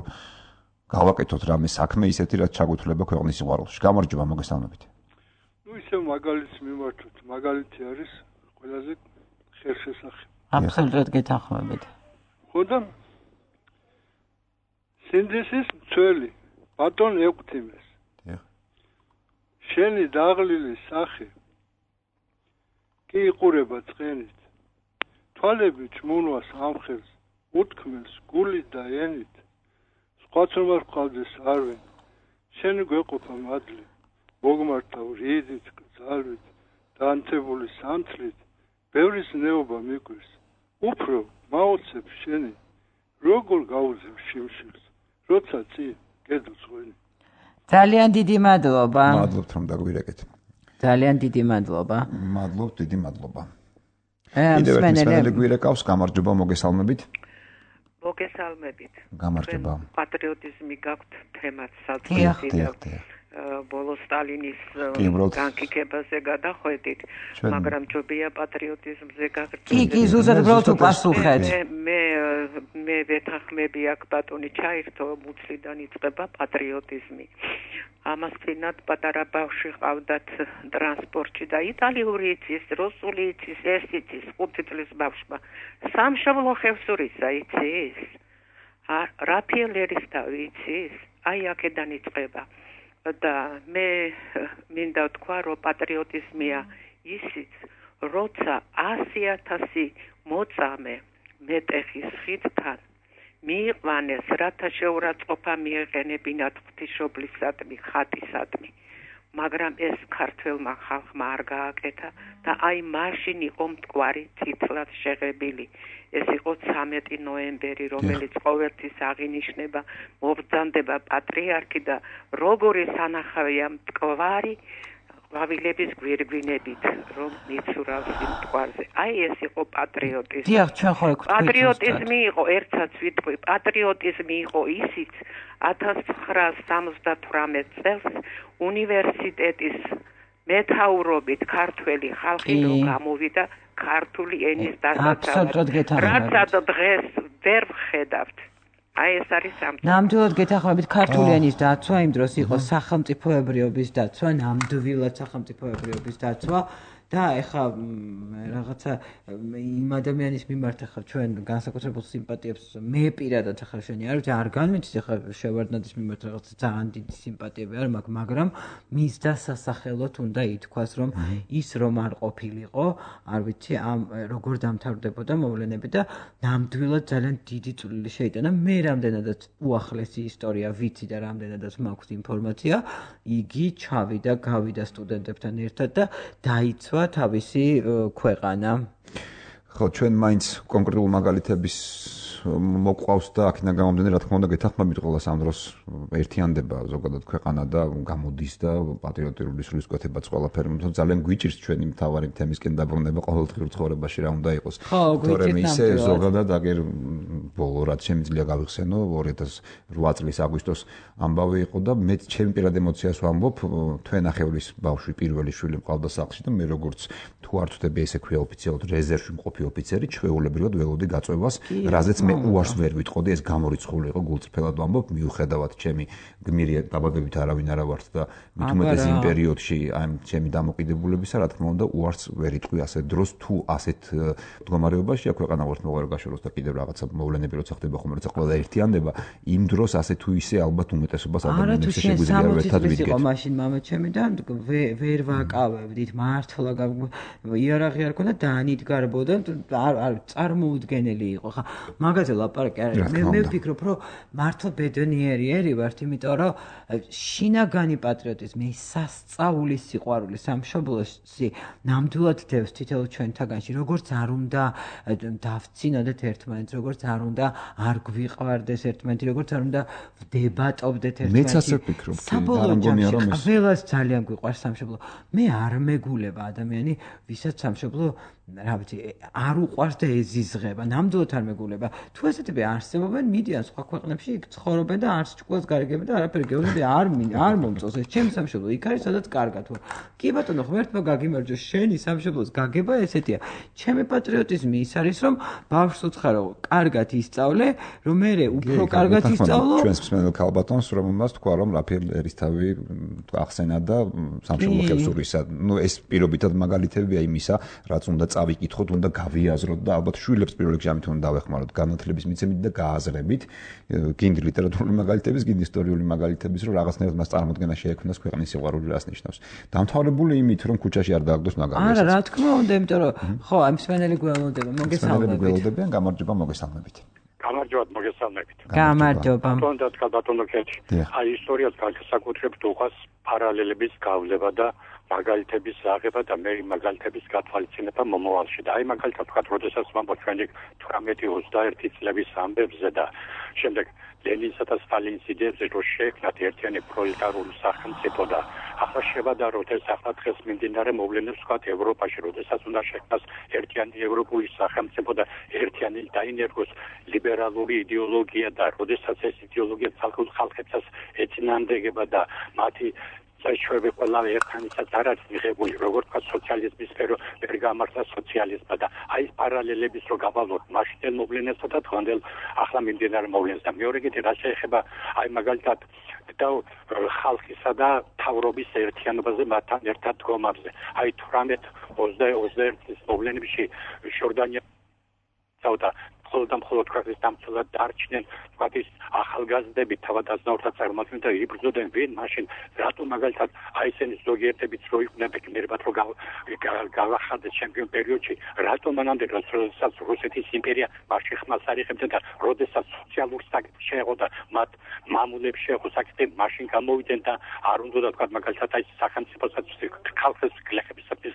გავაკეთოთ რამე საქმე ისეთი რაც ჩაგუთვლება ქვეყნის სიყვარულში. გამარჯობა, მოგესალმებით. ისევ მაგალითს მიმართოთ. მაგალითი არის ყველაზე ხერხესახე. აბსოლუტურად გეთანხმებით. ხოდა სინდისის მცველი ბატონ ეკვთიმეს. შენი დაღლილი სახე კი იყურება წყენით. თვალები ჩმუნვას ამხელს, უთქმელს გულით და ენით. სხვაც რომ არ ყავდეს არვენ. შენი გვეყოფა მადლი. მოგმართავ რიდით, ძალით, დაანთებული სანთლით, ბევრის ნეობა მიგვეს. უფრო მაოცებ შენი, როგორ გაუძებ შიმშილს, როცა წი გედუძღვენი. ძალიან დიდი მადლობა. მადლობთ რომ დაგვირეკეთ. ძალიან დიდი მადლობა. მადლობთ, დიდი მადლობა. კიდევ ერთ მსმენელი გვირეკავს, გამარჯობა, მოგესალმებით. მოგესალმებით. გამარჯობა. პატრიოტიზმი გაქვთ თემაც საწყისი. ბოლო სტალინის განკითებაზე გადახვედით, მაგრამ ჯობია პატრიოტიზმზე გაგრძელდეს. კი, ზუსტად უბრალოდ უპასუხეთ. მე ვეთანხმები აქ ბატონი ჩაირთო, მუცლიდან იწყება პატრიოტიზმი. ამას წინათ პატარა ბავშვი ყავდათ ტრანსპორტში და იტალიური იცის, რუსული იცის, ეს იცის 5 წლის ბავშვმა. სამშობლო ხევსურისა იცის? რაფიელერის თავი იცის? აი აქედან იწყება. და მე მინდა ვთქვა, რომ პატრიოტიზმია ისიც, როცა 100,000 მოწამე მეტეხის ხიდთან მიიყვანეს, რათა შეურაცხყოფა მიეყენებინათ ღვთისმშობლისადმი, ხატისადმი. მაგრამ ეს ქართველმა ხალხმა არ გააკეთა და აი მაშინ იყო მტკვარი წითლად შეღებილი. ეს იყო 13 ნოემბერი, რომელიც ყოველთვის აღინიშნება, მობრძანდება პატრიარქი და როგორი სანახავია მტკვარი ყვავილების გვირგვინებით, რომ მიცურავს იმ მტკვარზე. აი ეს იყო პატრიოტიზმი. დიახ, ჩვენ ხო ეკ პატრიოტიზმი იყო, ერთსაც ვიტყვი, პატრიოტიზმი იყო ისიც 1978 წელს უნივერსიტეტის მეთაურობით ქართველი ხალხი რო გამოვიდა ქართული ენის დასაცავად. რაც დღეს ვერ ვხედავთ. აი ეს არის სამწუხარო. ნამდვილად გეთანხმებით, ქართული ენის დაცვა იმ დროს იყო სახელმწიფოებრიობის დაცვა, ნამდვილად სახელმწიფოებრიობის დაცვა. და ეხა რაღაცა იმ ადამიანის მიმართ ახლა ჩვენ განსაკუთრებულ სიმპათიებს მე პირადად ახლა შენი არ განვიცდი ახლა შევარდნაძის მიმართ რაღაცა ძალიან დიდი სიმპათიები არ მაქვს, მაგრამ მის დასასახელოდ უნდა ითქვას, რომ ის რომ არ ყოფილიყო, არ ვიცი, როგორ დამთავრდებოდა მოვლენები და ნამდვილად ძალიან დიდი წვლილი შეიტანა. მე რამდენადაც უახლესი ისტორია ვიცი და რამდენადაც მაქვს ინფორმაცია, იგი ჩავიდა, გავიდა სტუდენტებთან ერთად და დაიცვა თავისი ქვეყანა. ხო, ჩვენ მაინც კონკრეტულ მაგალითების მოყვავს და აქედან გამომდინარე, რა თქმა უნდა, გეთანხმებით ყოველას ამ დროს ერთიანდება ზოგადად ქვეყანა და გამოდის და პატრიოტიული სულისკვეთებაც ყველაფერი, თუმცა ძალიან გვიჭირს ჩვენი მთავარი თემისკენ დაბრუნება ყოველდღიურ ცხოვრებაში რა უნდა იყოს. თორემ ისე ზოგადად აგერ ბოლო რაც შემიძლია გავიხსენო 2008 წლის აგვისტოს ამბავი იყო და მე ჩემი პირად ემოციას ვამბობ, თქვენ ახევლის ბავშვი პირველი შვილი მყავდა სახლში და მე როგორც თუ არ ვწდები ესე ქვია ოფიციალურად რეზერვში მყოფი ოფიცერი, ჩვეულებრივად ველოდი გაწევას, რაზეც მე უარს ვერ ვიტყოდი, ეს გამორიცხული იყო, გულწრფელად ვამბობ, მიუხედავად ჩემი გმირი დაბადებით არავინ არა ვართ და მით უმეტეს იმ პერიოდში აი ჩემი დამოკიდებულებისა, რა თქმა უნდა, უარს ვერ იტყვი ასეთ დროს, თუ ასეთ მდგომარეობაშია ქვეყანა ვართ მოყარ გაშოროს და კიდევ რაღაცა მოვლენები როცა ხდება ხომ როცა ყველა ერთიანდება, იმ დროს ასე თუ ისე ალბათ უმეტესობას ადამიანებს შეგვიძლია ერთად ვიდგეთ. მაშინ მამაჩემი და ვერ ვაკავებდით, მართლა იარაღი არ ქონდა და ანიდგარბოდა, არ წარმოუდგენელი იყო. ხა მაგაზე ლაპარაკი არ არის. მე ვფიქრობ, რომ მართლა ბედნიერი ვართ, იმიტომ რომ შინაგანი პატრიოტიზმი, სასწაული სიყვარული სამშობლოში ნამდვილად დევს თითოეულ ჩვენთაგანში, როგორც არ უნდა დავცინოდეთ ერთმანეთს, როგორც არ უნდა არ გვიყვარდეს ერთმანეთი, როგორც არ უნდა ვდებატობდეთ ერთმანეთი. მეც ასე ვფიქრობ, საბოლოო ჯამში ყველას ძალიან გვიყვარს სამშობლო. მე არ მეგულება ადამიანი, ვისაც სამშობლო რა ვიცი, არ უყვარს და ეზიზღება, ნამდვილად არ მეგულება. თუ ესეთები არსებობენ, მიდიან სხვა ქვეყნებში, იქ ცხოვრობენ და არც ჭკუას გარიგებენ და არაფერი გეუბნები არ მომწონს. ეს ჩემი სამშობლო იქ არის, სადაც კარგად ვარ. კი ბატონო, ღმერთმა გაგიმარჯოს, შენი სამშობლოს გაგება ესეთია. ჩემი პატრიოტიზმი ის არის, რომ ბავშვს უცხარო, კარგად ისწავლე, რომ მე უფრო კარგად ისწავლო. ჩვენს მსმენელ ქალბატონს, რომელმაც თქვა, რომ რაფაელ ერისთავი ახსენა და სამშობლო ხელსურისა. ნუ ეს პირობითად მაგალითებია იმისა, რაც უნდა წავიკითხოთ, უნდა გავიაზროთ და ალბათ შვილებს პირველ რიგში ამით უნდა დავეხმაროთ, განათლების მიცემით და გააზრებით. გინდ ლიტერატურული მაგალითების, გინდ ისტორიული მაგალითების, რომ რაღაცნაირად მას წარმოქმნა შეექმნას ქვეყნის სიყვარული რას ნიშნავს. დამთავრებული იმით, რომ ქუჩაში არ დააგდოს მაგალითად. არა, რა თქმა უნდა, იმიტომ რომ ხო, ამ მსმენელი გველოდება, მოგესალმებით. გველოდებიან, გამარჯობა, მოგესალმებით. გამარჯობა, მოგესალმებით. გამარჯობა. ბატონო კეთი. აი ისტორიას განსაკუთრებით უყვარს პარალელების გავლება და მაგალითების აღება და მე მაგალითების გათვალისწინება მომავალში და აი მაგალითად ვთქვათ, როდესაც ვამბობ ჩვენი 18-21 წლების ამბებზე და შემდეგ ლენინსა და სტალინის იდეებზე რომ შეექმნათ ერთიანი პროლეტარული სახელმწიფო და ახლა შევადაროთ ეს ახლა დღეს მიმდინარე მოვლენებს ვთქვათ ევროპაში, როდესაც უნდა შექმნას ერთიანი ევროპული სახელმწიფო და ერთიანი დაინერგოს ლიბერალური იდეოლოგია და როდესაც ეს იდეოლოგია ცალკეულ ხალხებსაც ეწინააღმდეგება და მათი საერთოდ ყველა ერთმანეთსაც არ არის მიღებული, როგორც ვთქვათ, სოციალიზმის სფერო ვერ გამართლა სოციალიზმმა და აი ეს პარალელების რო გავავლოთ მაშინდელ მოვლენებსა და დღევანდელ ახლა მიმდინარე მოვლენებს და მეორე კიდე რა შეეხება აი მაგალითად და ხალხისა და თავრობის ერთიანობაზე მათთან ერთად დგომაზე. აი 18-21 წლის მოვლენებში ჟორდანია და მხოლოდ ქვეყნის დამცველად დარჩნენ ვთქვათ ის ახალგაზრდები თავადაზნაურთა წარმოადგენენ და იბრძოდნენ ვინ მაშინ რატომ მაგალითად აი ესენი ზოგიერთებიც რო იყვნენ გმირებად რო გავახადეს ჩემპიონ პერიოდში რატომ მანამდე როდესაც რუსეთის იმპერია მაშინ ხმას არ იღებდა და როდესაც სოციალურ საკითხი შეეღო და მათ მამულებს შეეღო საკითხი მაშინ გამოვიდნენ და არ უნდა ვთქვათ მაგალითად აი სახელმწიფოსაც ხალხის გლეხებისათვის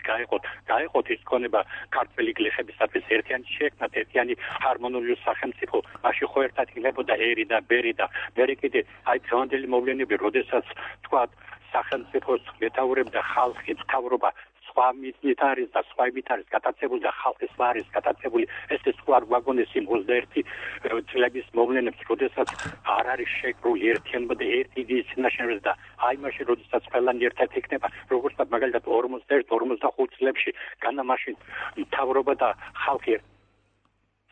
გაეყოთ ის ქონება ქართველი გლეხებისათვის ერთიანი შეექმნათ ერთიანი harmoniously სახელმწიფო მაშინ ხო ერთად იქნებოდა ერი და ბერი და მე კიდე აი დღევანდელი მოვლენები როდესაც თქვა სახელმწიფოს მეთაურებდა ხალხი მთავრობა სხვა მიზნით არის და სხვა იმით არის გატაცებული და ხალხის ვარის გატაცებული ეს სხვა ვაგონესი 21 წლების მოვლენებს როდესაც არ არის შეკრული ერთიანობა და ერთი იდეის წინაშე და აი მაშინ როდესაც ყველანი ერთად იქნება როგორც მაგალითად 41-45 წლებში განა მაშინ მთავრობა და ხალხი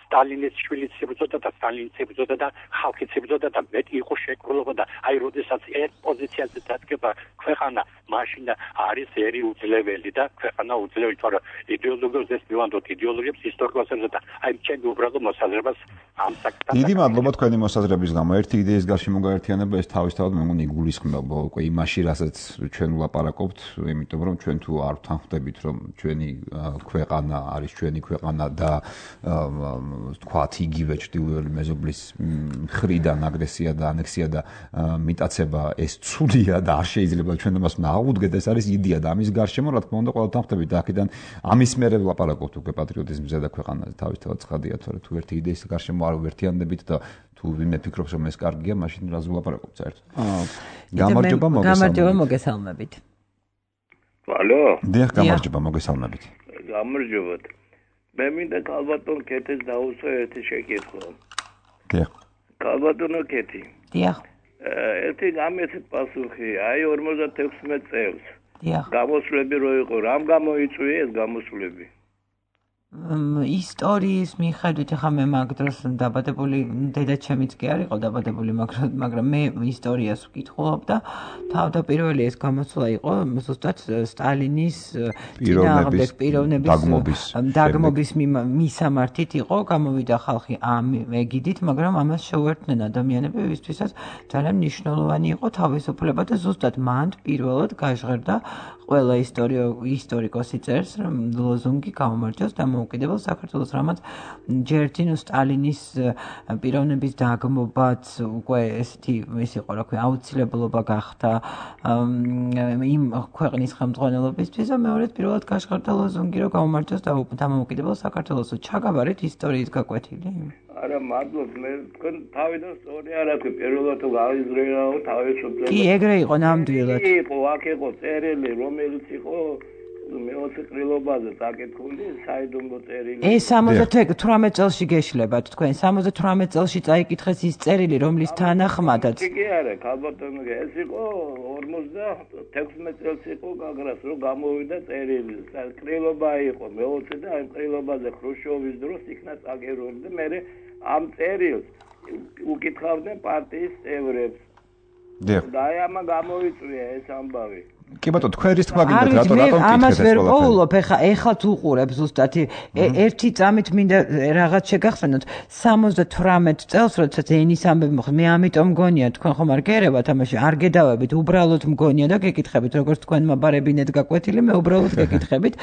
სტალინის შვილიც იბრძოდა და სტალინის იბრძოდა და ხალხიც იბრძოდა და მეტი იყო შეკრულება და აი როდესაც ერთ პოზიციაზე დადგება ქვეყანა მაშინ არის ერი უძლეველი და ქვეყანა უძლეველი თორე იდეოლოგიებს მივანდოთ იდეოლოგიებს ისტორიასებზე და აი ჩემი უბრალოდ მოსაზრებას ამ საკითხთან დიდი მადლობა თქვენი მოსაზრების გამო ერთი იდეის გარშემო მოგვაერთიანება ეს თავისთავად მე მგონი იგულისხმება უკვე იმაში რასაც ჩვენ ვლაპარაკობთ იმიტომ რომ ჩვენ თუ არ ვთანხმდებით რომ ჩვენი ქვეყანა არის ჩვენი ქვეყანა და თქვათ იგივე ჩრდილოელი მეზობლის მხრიდან აგრესია და ანექსია და მიტაცება ეს ცუდია და არ შეიძლება ჩვენ ამას ნაღვუდგეთ ეს არის იდეა და ამის გარშემო რა თქმა უნდა ყველა თანხმდებით და აქედან ამის მერე ვლაპარაკობთ უკვე პატრიოტიზმზე და ქვეყანაზე თავისთავად ცხადია თორე თუ ერთი იდეის გარშემო არ ვერთიანდებით და თუ ვინმე ფიქრობს რომ ეს კარგია მაშინ რაზე ვლაპარაკობთ საერთოდ გამარჯობა მოგესალმებით ალო დიახ გამარჯობა მოგესალმებით გამარჯობა მე მინდა კალბატონ კეთის დაუსვა ერთი შეკითხვა. დიახ. კალბატონო კეთი. დიახ. ერთი გამეცეთ პასუხი, აი 56 წელს. დიახ. გამოსვლები რო იყო, რამ გამოიწვია ეს გამოსვლები? ისტორიის მიხედვით ხა მე მაგ დროს დაბადებული დედაჩემიც კი არ იყო დაბადებული მაგრამ მე ისტორიას ვკითხულობ და თავდაპირველი ეს გამოსვლა იყო ზუსტად სტალინის პიროვნების დაგმობის მისამართით იყო გამოვიდა ხალხი ამ ეგიდით მაგრამ ამას შეუერთდნენ ადამიანები ვისთვისაც ძალიან მნიშვნელოვანი იყო თავისუფლება და ზუსტად მან პირველად გაჟღერდა ყველა ისტორიკოსი წერს რომ ლოზუნგი გამომარჯოს დამოუკიდებელ საქართველოს რამაც ჯერთინ სტალინის პიროვნების დაგმობაც უკვე ესეთი ის იყო რა ქვია აუცილებლობა გახდა იმ ქვეყნის ხელმძღვანელობისთვის და მეორედ პირველად გაჟღერდა ლოზუნგი რომ გამომარჯოს დამოუკიდებელ საქართველოს ჩაგაბარეთ ისტორიის გაკვეთილი არა მადლობ მე თქვენ თავიდან სწორი არ აქვს პირველად გაიზრეაო თავისუფლება კი ეგრე იყო ნამდვილად იყო აქ იყო წერილი რომელიც იყო მეოცე ყრილობაზე წაკითხული საიდუმლო წერილი. ეს 78 წელში გეშლებათ თქვენ 78 წელში წაიკითხეს ის წერილი რომლის თანახმადაც კი არა ქალბატონო ეს იყო 56 წელს იყო გაგრას რომ გამოვიდა წერილი ყრილობა იყო მეოცე და ამ ყრილობაზე ხრუშჩოვის დროს იქნა წაგერული და მე ამ წერილს უკითხავდნენ პარტიის წევრებს და ამა გამოვიწვია ეს ამბავი კი ბატონო თქვენ რის თქმა გინდათ რატომ ამას ვერ პოულობ ეხლა უყურებ ზუსტად ერთი წამით მინდა რაღაც შეგახსენოთ 78 წელს როდესაც ენის ამბები მოხდა მე ამიტომ მგონია თქვენ ხომ არ გერევათ ამაში არ გედავებით უბრალოდ მგონია და გეკითხებით როგორც თქვენ მაბარებინეთ გაკვეთილი მე უბრალოდ გეკითხებით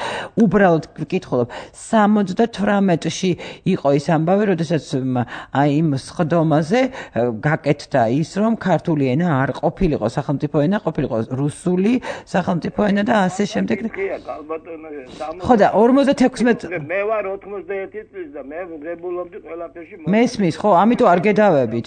უბრალოდ ვკითხულობ 78-ში იყო ის ამბავი როდესაც აი იმ სხდომაზე გაკეთდა ის რომ ქართული ენა არ ყოფილიყო სახელმწიფო ენა ყოფილიყო რუსული სახელმწიფო ენა და ასე შემდეგ. ხო და 56 მე ვარ 91 წლის და მე ვღებულობდი ყველაფერში. მესმის ხო, ამიტომ არ გედავებით.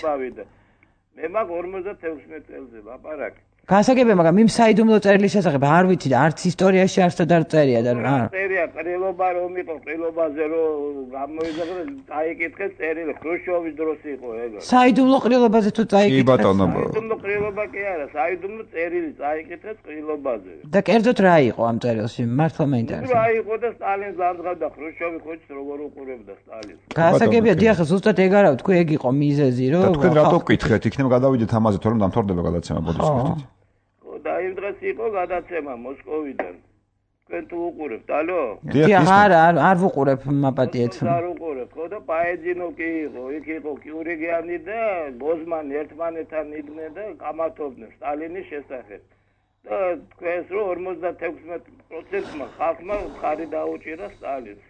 მე მაგ 56 წელზე ვაპარაკე. გასაგებია, მაგრამ იმ საიდუმლო წერილის შესახებ არ ვიცი და არც ისტორიაში არსად არ წერია და რა. წერია ყრილობა რომ იყო ყრილობაზე რომ გამოიზარდა წაიკითხეს წერილი ხრუშჩოვის დროს იყო ეგა. საიდუმლო ყრილობაზე თუ წაიკითხეს. კი ბატონო. საიდუმლო ყრილობა კი არა, საიდუმლო წერილი წაიკითხეს ყრილობაზე. და კერძოდ რა იყო ამ წერილში? მართლა მეინტერესებს. რა იყო და სტალინს ლანძღავდა ხრუშჩოვი ხოჭს როგორ უყურებდა სტალინს. გასაგებია, დიახ, ზუსტად ეგ არა თქვი ეგ იყო მიზეზი რომ თქვენ რატო გკითხეთ? იქნებ გადავიდეთ ამაზე თორემ დამთავრდება გადაცემა ბოდიშ გიხდით. და იმ დღეს იყო გადაცემა მოსკოვიდან. თქვენ თუ უყურებთ, ალო? დიახ, არ ვუყურებ მაპატიეთ. არ უყურებ, ხო და პაეძინო კი იყო, იქ იყო კიურიგიანი და ბოზმანი ერთმანეთთან იდგნენ და კამათობდნენ სტალინის შესახებ. და თქვენს რომ 56%-მა ხალხმა მხარი დაუჭირა სტალინს.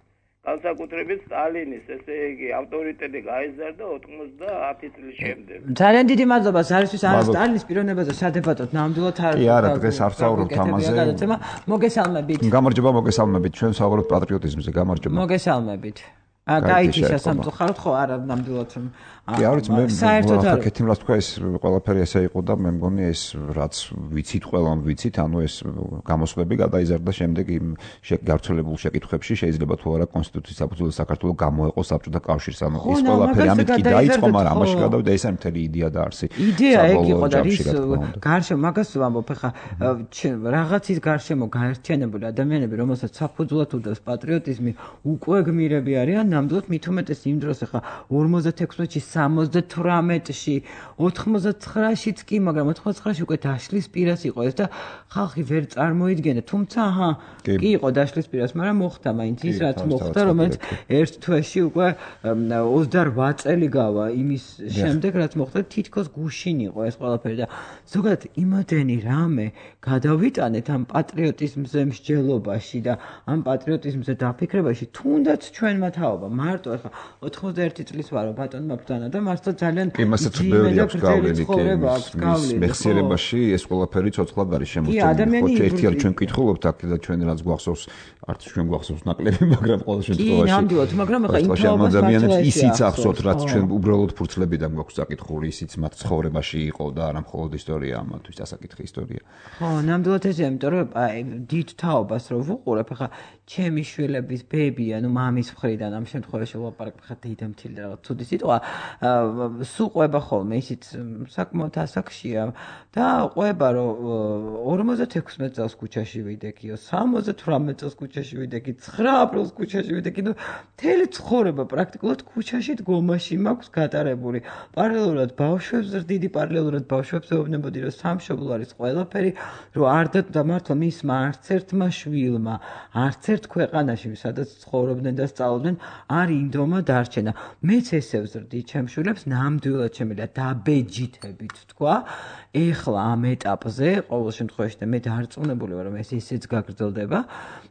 განსაკუთრებით სტალინის, ესე იგი, ავტორიტეტი გაიზარდა 90 წლის შემდეგ. ძალიან დიდი მადლობა ზარისთვის არა სტალინის პიროვნებაზე სადებატოდ ნამდვილად არ კი არა, დღეს არ ვსაუბრობთ ამაზე. მოგესალმებით. გამარჯობა, მოგესალმებით. ჩვენ ვსაუბრობთ პატრიოტიზმზე, გამარჯობა. მოგესალმებით. გაიჩიშა სამწუხაროდ ხო არა ნამდვილად რომ კი არის მე საკეთიმ რა თქვა ეს ყველაფერი ესე იყო და მე მგონი ეს რაც ვიცით ყველამ ვიცით ანუ ეს გამოსვლები გადაიზარდა შემდეგ იმ გავრცელებულ შეკითხვებში შეიძლება თუ არა კონსტიტუციის საფუძველზე საქართველოს გამოეყო საბჭოთა კავშირს ანუ ეს ყველაფერი ამით კი დაიწყო მაგრამ ამაში გადავიდა ეს არის მთელი იდეა და არსი იდეა ეგ იყო და ის გარშემო მაგას ვამბობ ხა რაღაცის გარშემო გაერთიანებული ადამიანები რომელსაც საფუძვლად უდევს პატრიოტიზმი უკვე გმირები არიან ნამდვილად მით უმეტეს იმ დროს ხა 56-ში 78-ში 99-შიც კი მაგრამ 99-ში უკვე დაშლის პირას იყო ეს და ხალხი ვერ წარმოიდგენა თუმცა აჰა კი იყო დაშლის პირას მაგრამ მოხდა მაინც ის რაც მოხდა რომელიც ერთ თვეში უკვე 28 წელი გავა იმის შემდეგ რაც მოხდა თითქოს გუშინ იყო ეს ყველაფერი და ზოგადად იმოდენი რამე გადავიტანეთ ამ პატრიოტიზმზე მსჯელობაში და ამ პატრიოტიზმზე დაფიქრებაში თუნდაც ჩვენმა თაობა მარტო ახლა 91 წლის ვარო ბატონმა ბრძანა და მართლა ძალიან იმასაც ბევრი აქვს გავლენი კი მეხსიერებაში ეს ყველაფერი ცოცხლად არის შემოსწორებული ხო ერთი არ ჩვენ ვკითხულობთ აქ და ჩვენ რაც გვახსოვს არც ჩვენ გვახსოვს ნაკლები მაგრამ ყოველ შემთხვევაში კი ნამდვილად მაგრამ ახლა იმ ადამიანებს ისიც ახსოვთ რაც ჩვენ უბრალოდ ფურცლებიდან გვაქვს საკითხული ისიც მათ ცხოვრებაში იყო და არა მხოლოდ ისტორია ამათთვის დასაკითხი ისტორია ხო ნამდვილად ესეა იმიტომ რომ დიდ თაობას რო ვუყურებ ახლა ჩემი შვილების ბები ანუ მამის მხრიდან ამ შემთხვევაში ვლაპარაკ ხა დედამთილი და რაღაც ცუდი სიტყვა სულ ყვება ხოლმე ისიც საკმაოდ ასაკშია და ყვება რომ 56 წელს ქუჩაში ვიდექიო 78 წელს ქუჩაში ვიდექი 9 აპრილს ქუჩაში ვიდექი და მთელი ცხოვრება პრაქტიკულად ქუჩაში დგომაში მაქვს გატარებული პარალელურად ბავშვებს დიდი პარალელურად ბავშვებს ეუბნებოდი რომ სამშობლო არის ყველაფერი რომ არ და მართლა მისმა არც ერთმა შვილმა არც ერთ ქვეყანაში სადაც ცხოვრობდნენ და სწავლობდნენ არ ინდომა დარჩენა მეც ესე ვზრდი ჩემ შვილებს ნამდვილად შემიძლია დაბეჯითებით თქვა ეხლა ამ ეტაპზე ყოველ შემთხვევაში და მე დარწმუნებული ვარ რომ ეს ისიც გაგრძელდება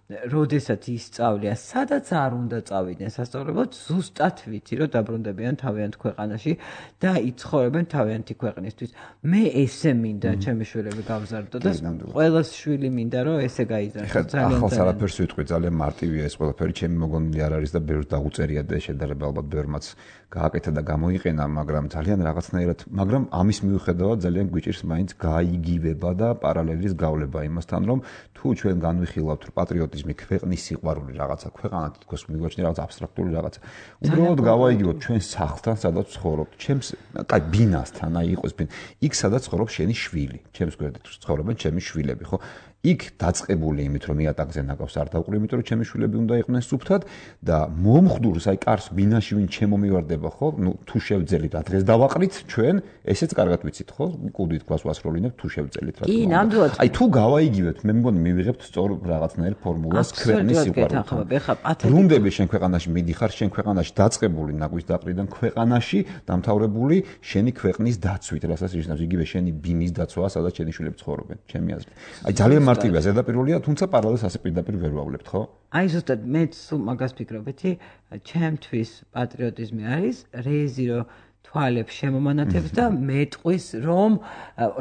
როდესაც ისწავლია სადაც არ უნდა წავიდნენ სასწავლებლად ზუსტად ვიცი რომ დაბრუნდებიან თავიანთ ქვეყანაში და იცხოვრებენ თავიანთი ქვეყნისთვის მე ესე მინდა ჩემი შვილები გავზარდო და ყველას შვილი მინდა რომ ესე გაიზარდოს ძალიან ახალს არაფერს ვიტყვი ძალიან მარტივია ეს ყველაფერი, ჩემი მოგონილი არ არის და ბევრს დაუწერია და შედარება ალბათ ბევრმაც გააკეთა და გამოიყენა, მაგრამ ძალიან რაღაცნაირად, მაგრამ ამის მიუხედავად ძალიან გვიჭირს მაინც გაიგივება და პარალელის გავლება იმასთან, რომ თუ ჩვენ განვიხილავთ პატრიოტიზმი, ქვეყნის სიყვარული რაღაცა, ქვეყანა თითქოს მიგვაჩნია რაღაც აბსტრაქტული რაღაცა. უბრალოდ გავაიგივოთ ჩვენ სახლთან, სადაც ცხოვრობთ, ჩემს, კაი, ბინასთან, აი იყოს ბინა. იქ სადაც ცხოვრობს შენი შვილი, ჩემს გვერდით ცხოვრობენ ჩემი შვილები, ხო? იქ დაწყებული იმით, რომ იატაკზე ნაკავს არ დავყრი, იმიტომ რომ ჩემი შვილები უნდა იყვნენ სუფთად და მომხდურს, აი კარს ბინაში ვინ ჩემო მივარდება, ხო? ნუ თუ შევძელით რა დღეს დავაყრით ჩვენ, ესეც კარგად ვიცით, ხო? კუდით კლას ვასრულინებ თუ შევძელით რა. კი, ნამდვილად. აი თუ გავაიგივებთ, მე მგონი მივიღებთ სწორ რაღაცნაირ ფორმულას ქვეყნის სიყვარულთან. რუნდები შენ ქვეყანაში მიდიხარ, შენ ქვეყანაში დაწყებული ნაგვის დაყრიდან ქვეყანაში დამთავრებული შენი ქვეყნის დაცვით, რასაც ნიშნავს იგივე შენი ბინის დაცვა, სადაც შენი შვილები ცხოვრობენ, ჩემი აზრით. აი ძალიან მარტივია ზედაპირულია, თუმცა პარალელს ასე პირდაპირ ვერ ვავლებთ, ხო? აი ზუსტად მეც მაგას ფიქრობეთი, ჩემთვის პატრიოტიზმი არის რეიზი რო თვალებს შემომანათებს და მეტყვის რომ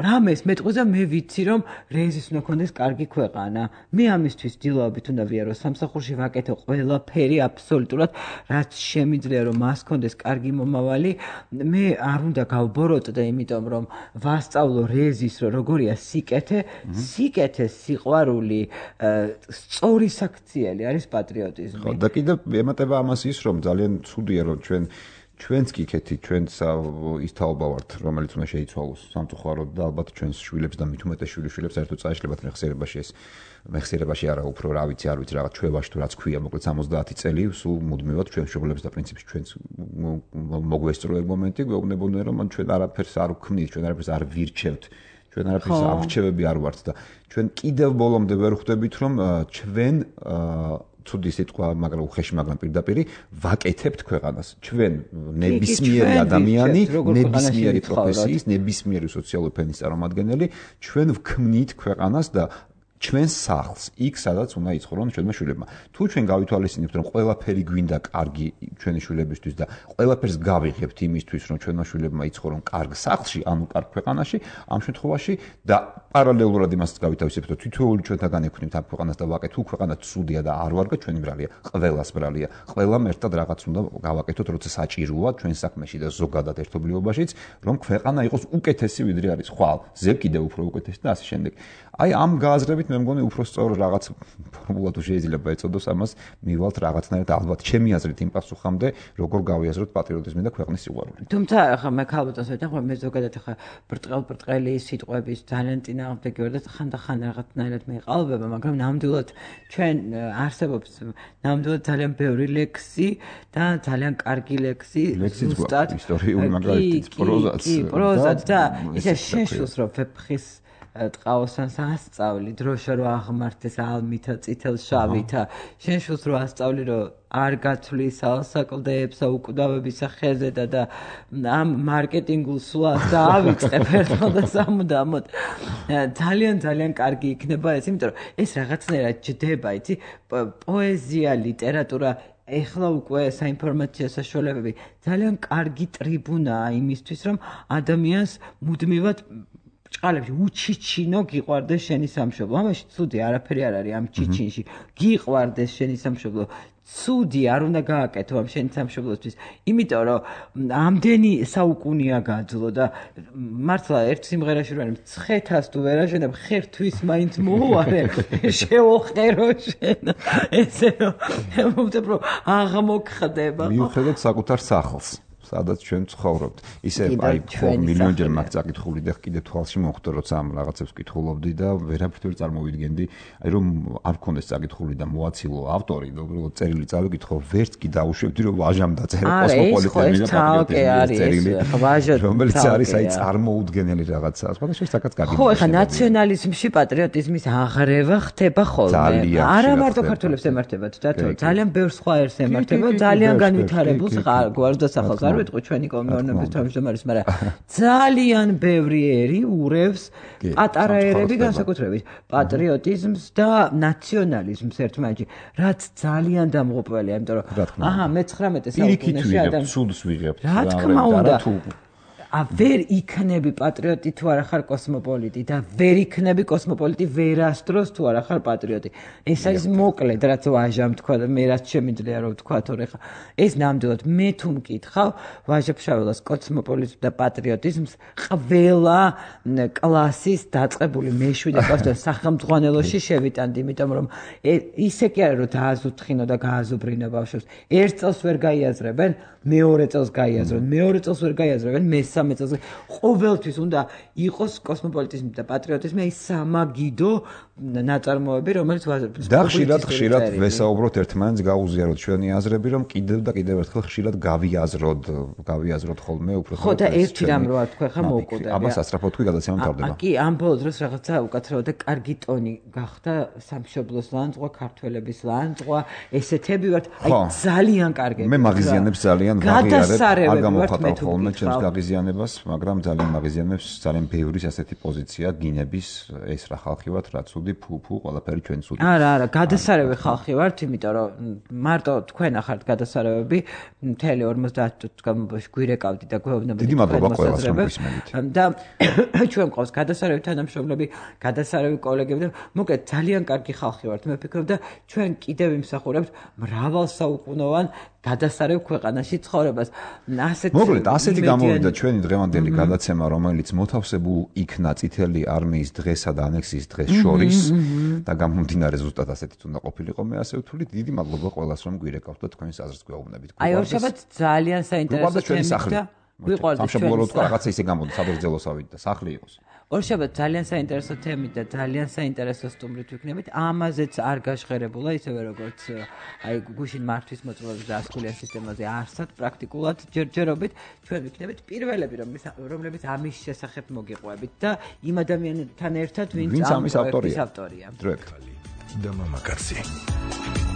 რამეს მეტყვის და მე ვიცი რომ რეიზის უნდა ქონდეს კარგი ქვეყანა. მე ამისთვის დილავებით უნდა ვიარო სამსახურში ვაკეთო ყველაფერი აბსოლუტურად რაც შემიძლია რომ მას ქონდეს კარგი მომავალი. მე არ უნდა გავბოროტდე იმიტომ რომ ვასწავლო რეიზის რომ როგორია სიკეთე, სიყვარული, სწორი საქციელი არის პატრიოტიზმი. ხო და კიდევ ემატება ამას ის რომ ძალიან ცუდია რომ ჩვენც კი ქეთი, ჩვენც ის თაობა ვართ, რომელიც უნდა შეიცვალოს სამწუხაროდ და ალბათ ჩვენს შვილებს და მით უმეტეს შვილებს საერთოდ წაეშლებათ მეხსიერებაში ეს მეხსიერებაში არა უფრო რა ვიცი, არ ვიცი რაღაც ჩვევაში თუ რაც ქვია, მოკლედ 70 წელი სულ მუდმივად ჩვენ შეგულებს და პრინციპში ჩვენც მოგვესწრო ეგ მომენტი, გვეუბნებოდნენ რომ ჩვენ არაფერს არ ვქმნით, ჩვენ არაფერს არ ვირჩევთ. ჩვენ არაფერს არჩევები არ ვართ და ჩვენ კიდევ ბოლომდე ვერ ხვდებით რომ ჩვენ ცუდი სიტყვა, მაგრამ უხეში, მაგრამ პირდაპირ ვაკეთებთ ქვეყანას. ჩვენ ნებისმიერი ადამიანი, ნებისმიერი პროფესიის, ნებისმიერი სოციალური ფენის წარმომადგენელი, ჩვენ ვქმნით ქვეყანას და ჩვენს სახლს, იქ სადაც უნდა იცხოვრონ ჩვენმა შვილებმა. თუ ჩვენ გავითვალისწინებთ, რომ ყველაფერი გვინდა კარგი ჩვენი შვილებისთვის და ყველაფერს გავიღებთ იმისთვის, რომ ჩვენმა შვილებმა იცხოვრონ კარგ სახლში, ანუ კარგ ქვეყანაში, ამ შემთხვევაში და პარალელურად იმასაც გავითავისებთ, რომ თითოეული ჩვენთაგან ექვთნით ამ ქვეყანას და ვაკეთოთ, თუ ქვეყანა ცუდია და არ ვარგა ჩვენი ბრალია, ყველას ბრალია. ყველამ ერთად რაღაც უნდა გავაკეთოთ, როცა საჭიროა ჩვენ საქმეში და ზოგადად ერთობლიობაშიც, რომ ქვეყანა იყოს უკეთესი ვიდრე არის ხვალ, ზევ კიდევ უფრო უკეთესი და ასე შემდეგ. აი ამ გააზრებით მე მგონი უფრო სწორ რაღაც ფორმულა თუ შეიძლება ეწოდოს ამას მივალთ რაღაცნაირად ალბათ ჩემი აზრით იმ პასუხამდე როგორ გავიაზროთ პატრიოტიზმი და ქვეყნის სიყვარული. თუმცა ახლა მე ქალბატონს ვეთანხმებ მე ზოგადად ახლა ბრტყელი სიტყვების ძალიან წინააღმდეგი ვარ და ხანდახან რაღაცნაირად მეყალბება, მაგრამ ნამდვილად ჩვენ არსებობს ნამდვილად ძალიან ბევრი ლექსი და ძალიან კარგი ლექსი ზუსტად ისტორიული მაგალითიც პროზაც. კი, პროზაც და ისე შეშულს რომ ვეფხის ტყაოსანს ასწავლი, დროშა რო აღმართეს ალმითა, წითელ შავითა, შენ შულს რო ასწავლი, რომ არ გათვლის ალსაკლდეებსა უკვდავებისა ხეზედა და ამ მარკეტინგულ სვლას და ავიწყებ ერთხელ და სამუდამოდ. ძალიან კარგი იქნება ეს, იმიტომ რომ ეს რაღაცნაირად ჯდება, იცი, პოეზია, ლიტერატურა ეხლა უკვე საინფორმაციო საშუალებები ძალიან კარგი ტრიბუნაა იმისთვის, რომ ადამიანს მუდმივად ჭყალებში უჩიჩინო გიყვარდეს შენი სამშობლო. ამაში ცუდი არაფერი არ არის ამ ჩიჩინში. გიყვარდეს შენი სამშობლო. ცუდი არ უნდა გააკეთო ამ შენი სამშობლოსთვის. იმიტომ რომ ამდენი საუკუნეა გაძლო და მართლა ერთ სიმღერაში რომ მცხეთას თუ ვერ აშენებ, ხერთვის მაინც მოუარე, შევოხერო შენ. ესე რომ აღმოხდება. მიუხედავად საკუთარ სახლს. სადაც ჩვენ ცხოვრობთ. ისე აი მილიონჯერ მაგ წაკითხული და კიდე თვალში მოხვდა, როცა ამ რაღაცებს კითხულობდი და ვერაფერ წარმოვიდგენდი, აი რომ არ მქონდეს წაკითხული და მოაცილო ავტორი, უბრალოდ წერილი წავიკითხო, ვერც კი დაუშვებდი, რომ ვაჟამ დაწერა კოსმოპოლიტენი და პატრიოტიზმის წერილი, რომელიც არის აი წარმოუდგენელი რაღაცა. სხვადასხვა საკაც კარგი. ხო, ხა ნაციონალიზმში პატრიოტიზმის აღრევა ხდება ხოლმე. არა მარტო ქართველებს ემართებათ და ძალიან ბევრ სხვა ერს ემართება, ძალიან განვითარებულს გვარს და სახელს ვიტყვი ჩვენი კომუნიკაციის თავმჯდომარის, მაგრამ ძალიან ბევრი ერი ურევს პატარა ერები განსაკუთრებით პატრიოტიზმს და ნაციონალიზმს ერთმანეთში, რაც ძალიან დამღუპველია, იმიტომ რომ აჰა, მე-19 საუკუნეში სულს ვიღებთ. რა თქმა უნდა. ვერ იქნები პატრიოტი თუ არა ხარ კოსმოპოლიტი და ვერ იქნები კოსმოპოლიტი ვერასდროს თუ არა ხარ პატრიოტი. ეს არის მოკლედ, რაც ვაჟამ თქვა და მე რაც შემიძლია რომ ვთქვა, თორე ხა ეს ნამდვილად მე თუ მკითხავ ვაჟა-ფშაველას კოსმოპოლიტიზმს და პატრიოტიზმს ყველა კლასის დაწყებული მეშვიდე კლასიდან სახელმძღვანელოში შევიტანდი, იმიტომ რომ ისე კი არა რომ დააზუთხინო და გააზუბრინო ბავშვებს. ერთ წელს ვერ გაიაზრებენ, მეორე წელს გაიაზრებენ, მეორე წელს ვერ გაიაზრებენ, მესამე წელს. ყოველთვის უნდა იყოს კოსმოპოლიტიზმი და პატრიოტიზმი, აი სამაგიდო ნაწარმოები, რომელიც და ხშირად ვესაუბროთ ერთმანეთს, გაუზიაროთ ჩვენი აზრები, რომ კიდევ და კიდევ ერთხელ ხშირად გავიაზროთ ხოლმე უფრო ხო და ერთი რამ რო თქვა ხა მოუკვდა. ამას ასწრაფო თქვი გადაცემა მთავრდება. კი, ამ ბოლო დროს რაღაცა უკაცრავად და კარგი ტონი გახდა სამშობლოს ლანძღვა, ქართველების ლანძღვა, ესეთები ვართ, აი ძალიან კარგები. მე მაღიზიანებს ძალიან ვაღიარებ, არ გამოხატავ ხოლმე ჩემს გაღიზიანებას, მაგრამ ძალიან მაღიზიანებს, ძალიან ბევრი ასეთი პოზიცია გინების, ეს რა ხალხი ვართ, რა ცუდი, ფუ, ყველაფერი ჩვენ ცუდი. არა, გადასარევი ხალხი ვართ, იმიტომ რომ მარტო თქვენ ახართ გადასარევები, მთელი 50 წუთის განმავლობაში გვირეკავდი და გვეუბნებოდი. დიდი მადლობა ყველას რომ გვისმენთ. და ჩვენ ყავს გადასარევი თანამშრომლები, გადასარევი კოლეგები და მოკლედ ძალიან კარგი ხალხი ვართ. მე ვფიქრობ და ჩვენ კიდევ იმსახურებთ მრავალსაუკუნოვან გადასარევ ქვეყანაში ცხოვრებას. მოკლედ, ასეთი გამოვიდა ჩვენი დღევანდელი გადაცემა, რომელიც მოთავსებულ იქნა წითელი არმიის დღესა და ანექსიის დღეს შორის და გამომდინარე ზუსტად ასეთიც უნდა ყოფილიყო. მე ასე ვთვლით, დიდი მადლობა ყველას რომ გვირეკავთ და თქვენს აზრს გვეუბნებით. აი, ორშაბათს ძალიან საინტერესო თემით და გვიყვარდა სამშაბლოოდ რაღაცა ისე გამოდი, საბერძნელოსავით და სახლი იყოს. ორშაბათს ძალიან საინტერესო თემით და ძალიან საინტერესო სტუმრით ვიქნებით. ამაზეც არ გაჟღერებულა, ისევე როგორც აი გუშინ მართვის მოწყობილობის და ასკულიან სისტემაზე არსად პრაქტიკულად ჯერჯერობით ჩვენ ვიქნებით პირველები, რომლებიც ამის შესახებ მოგიყვებით და იმ ადამიანთან ერთად, ვინც ამ პროექტის ავტორია. დროებით. და მამაკაცი.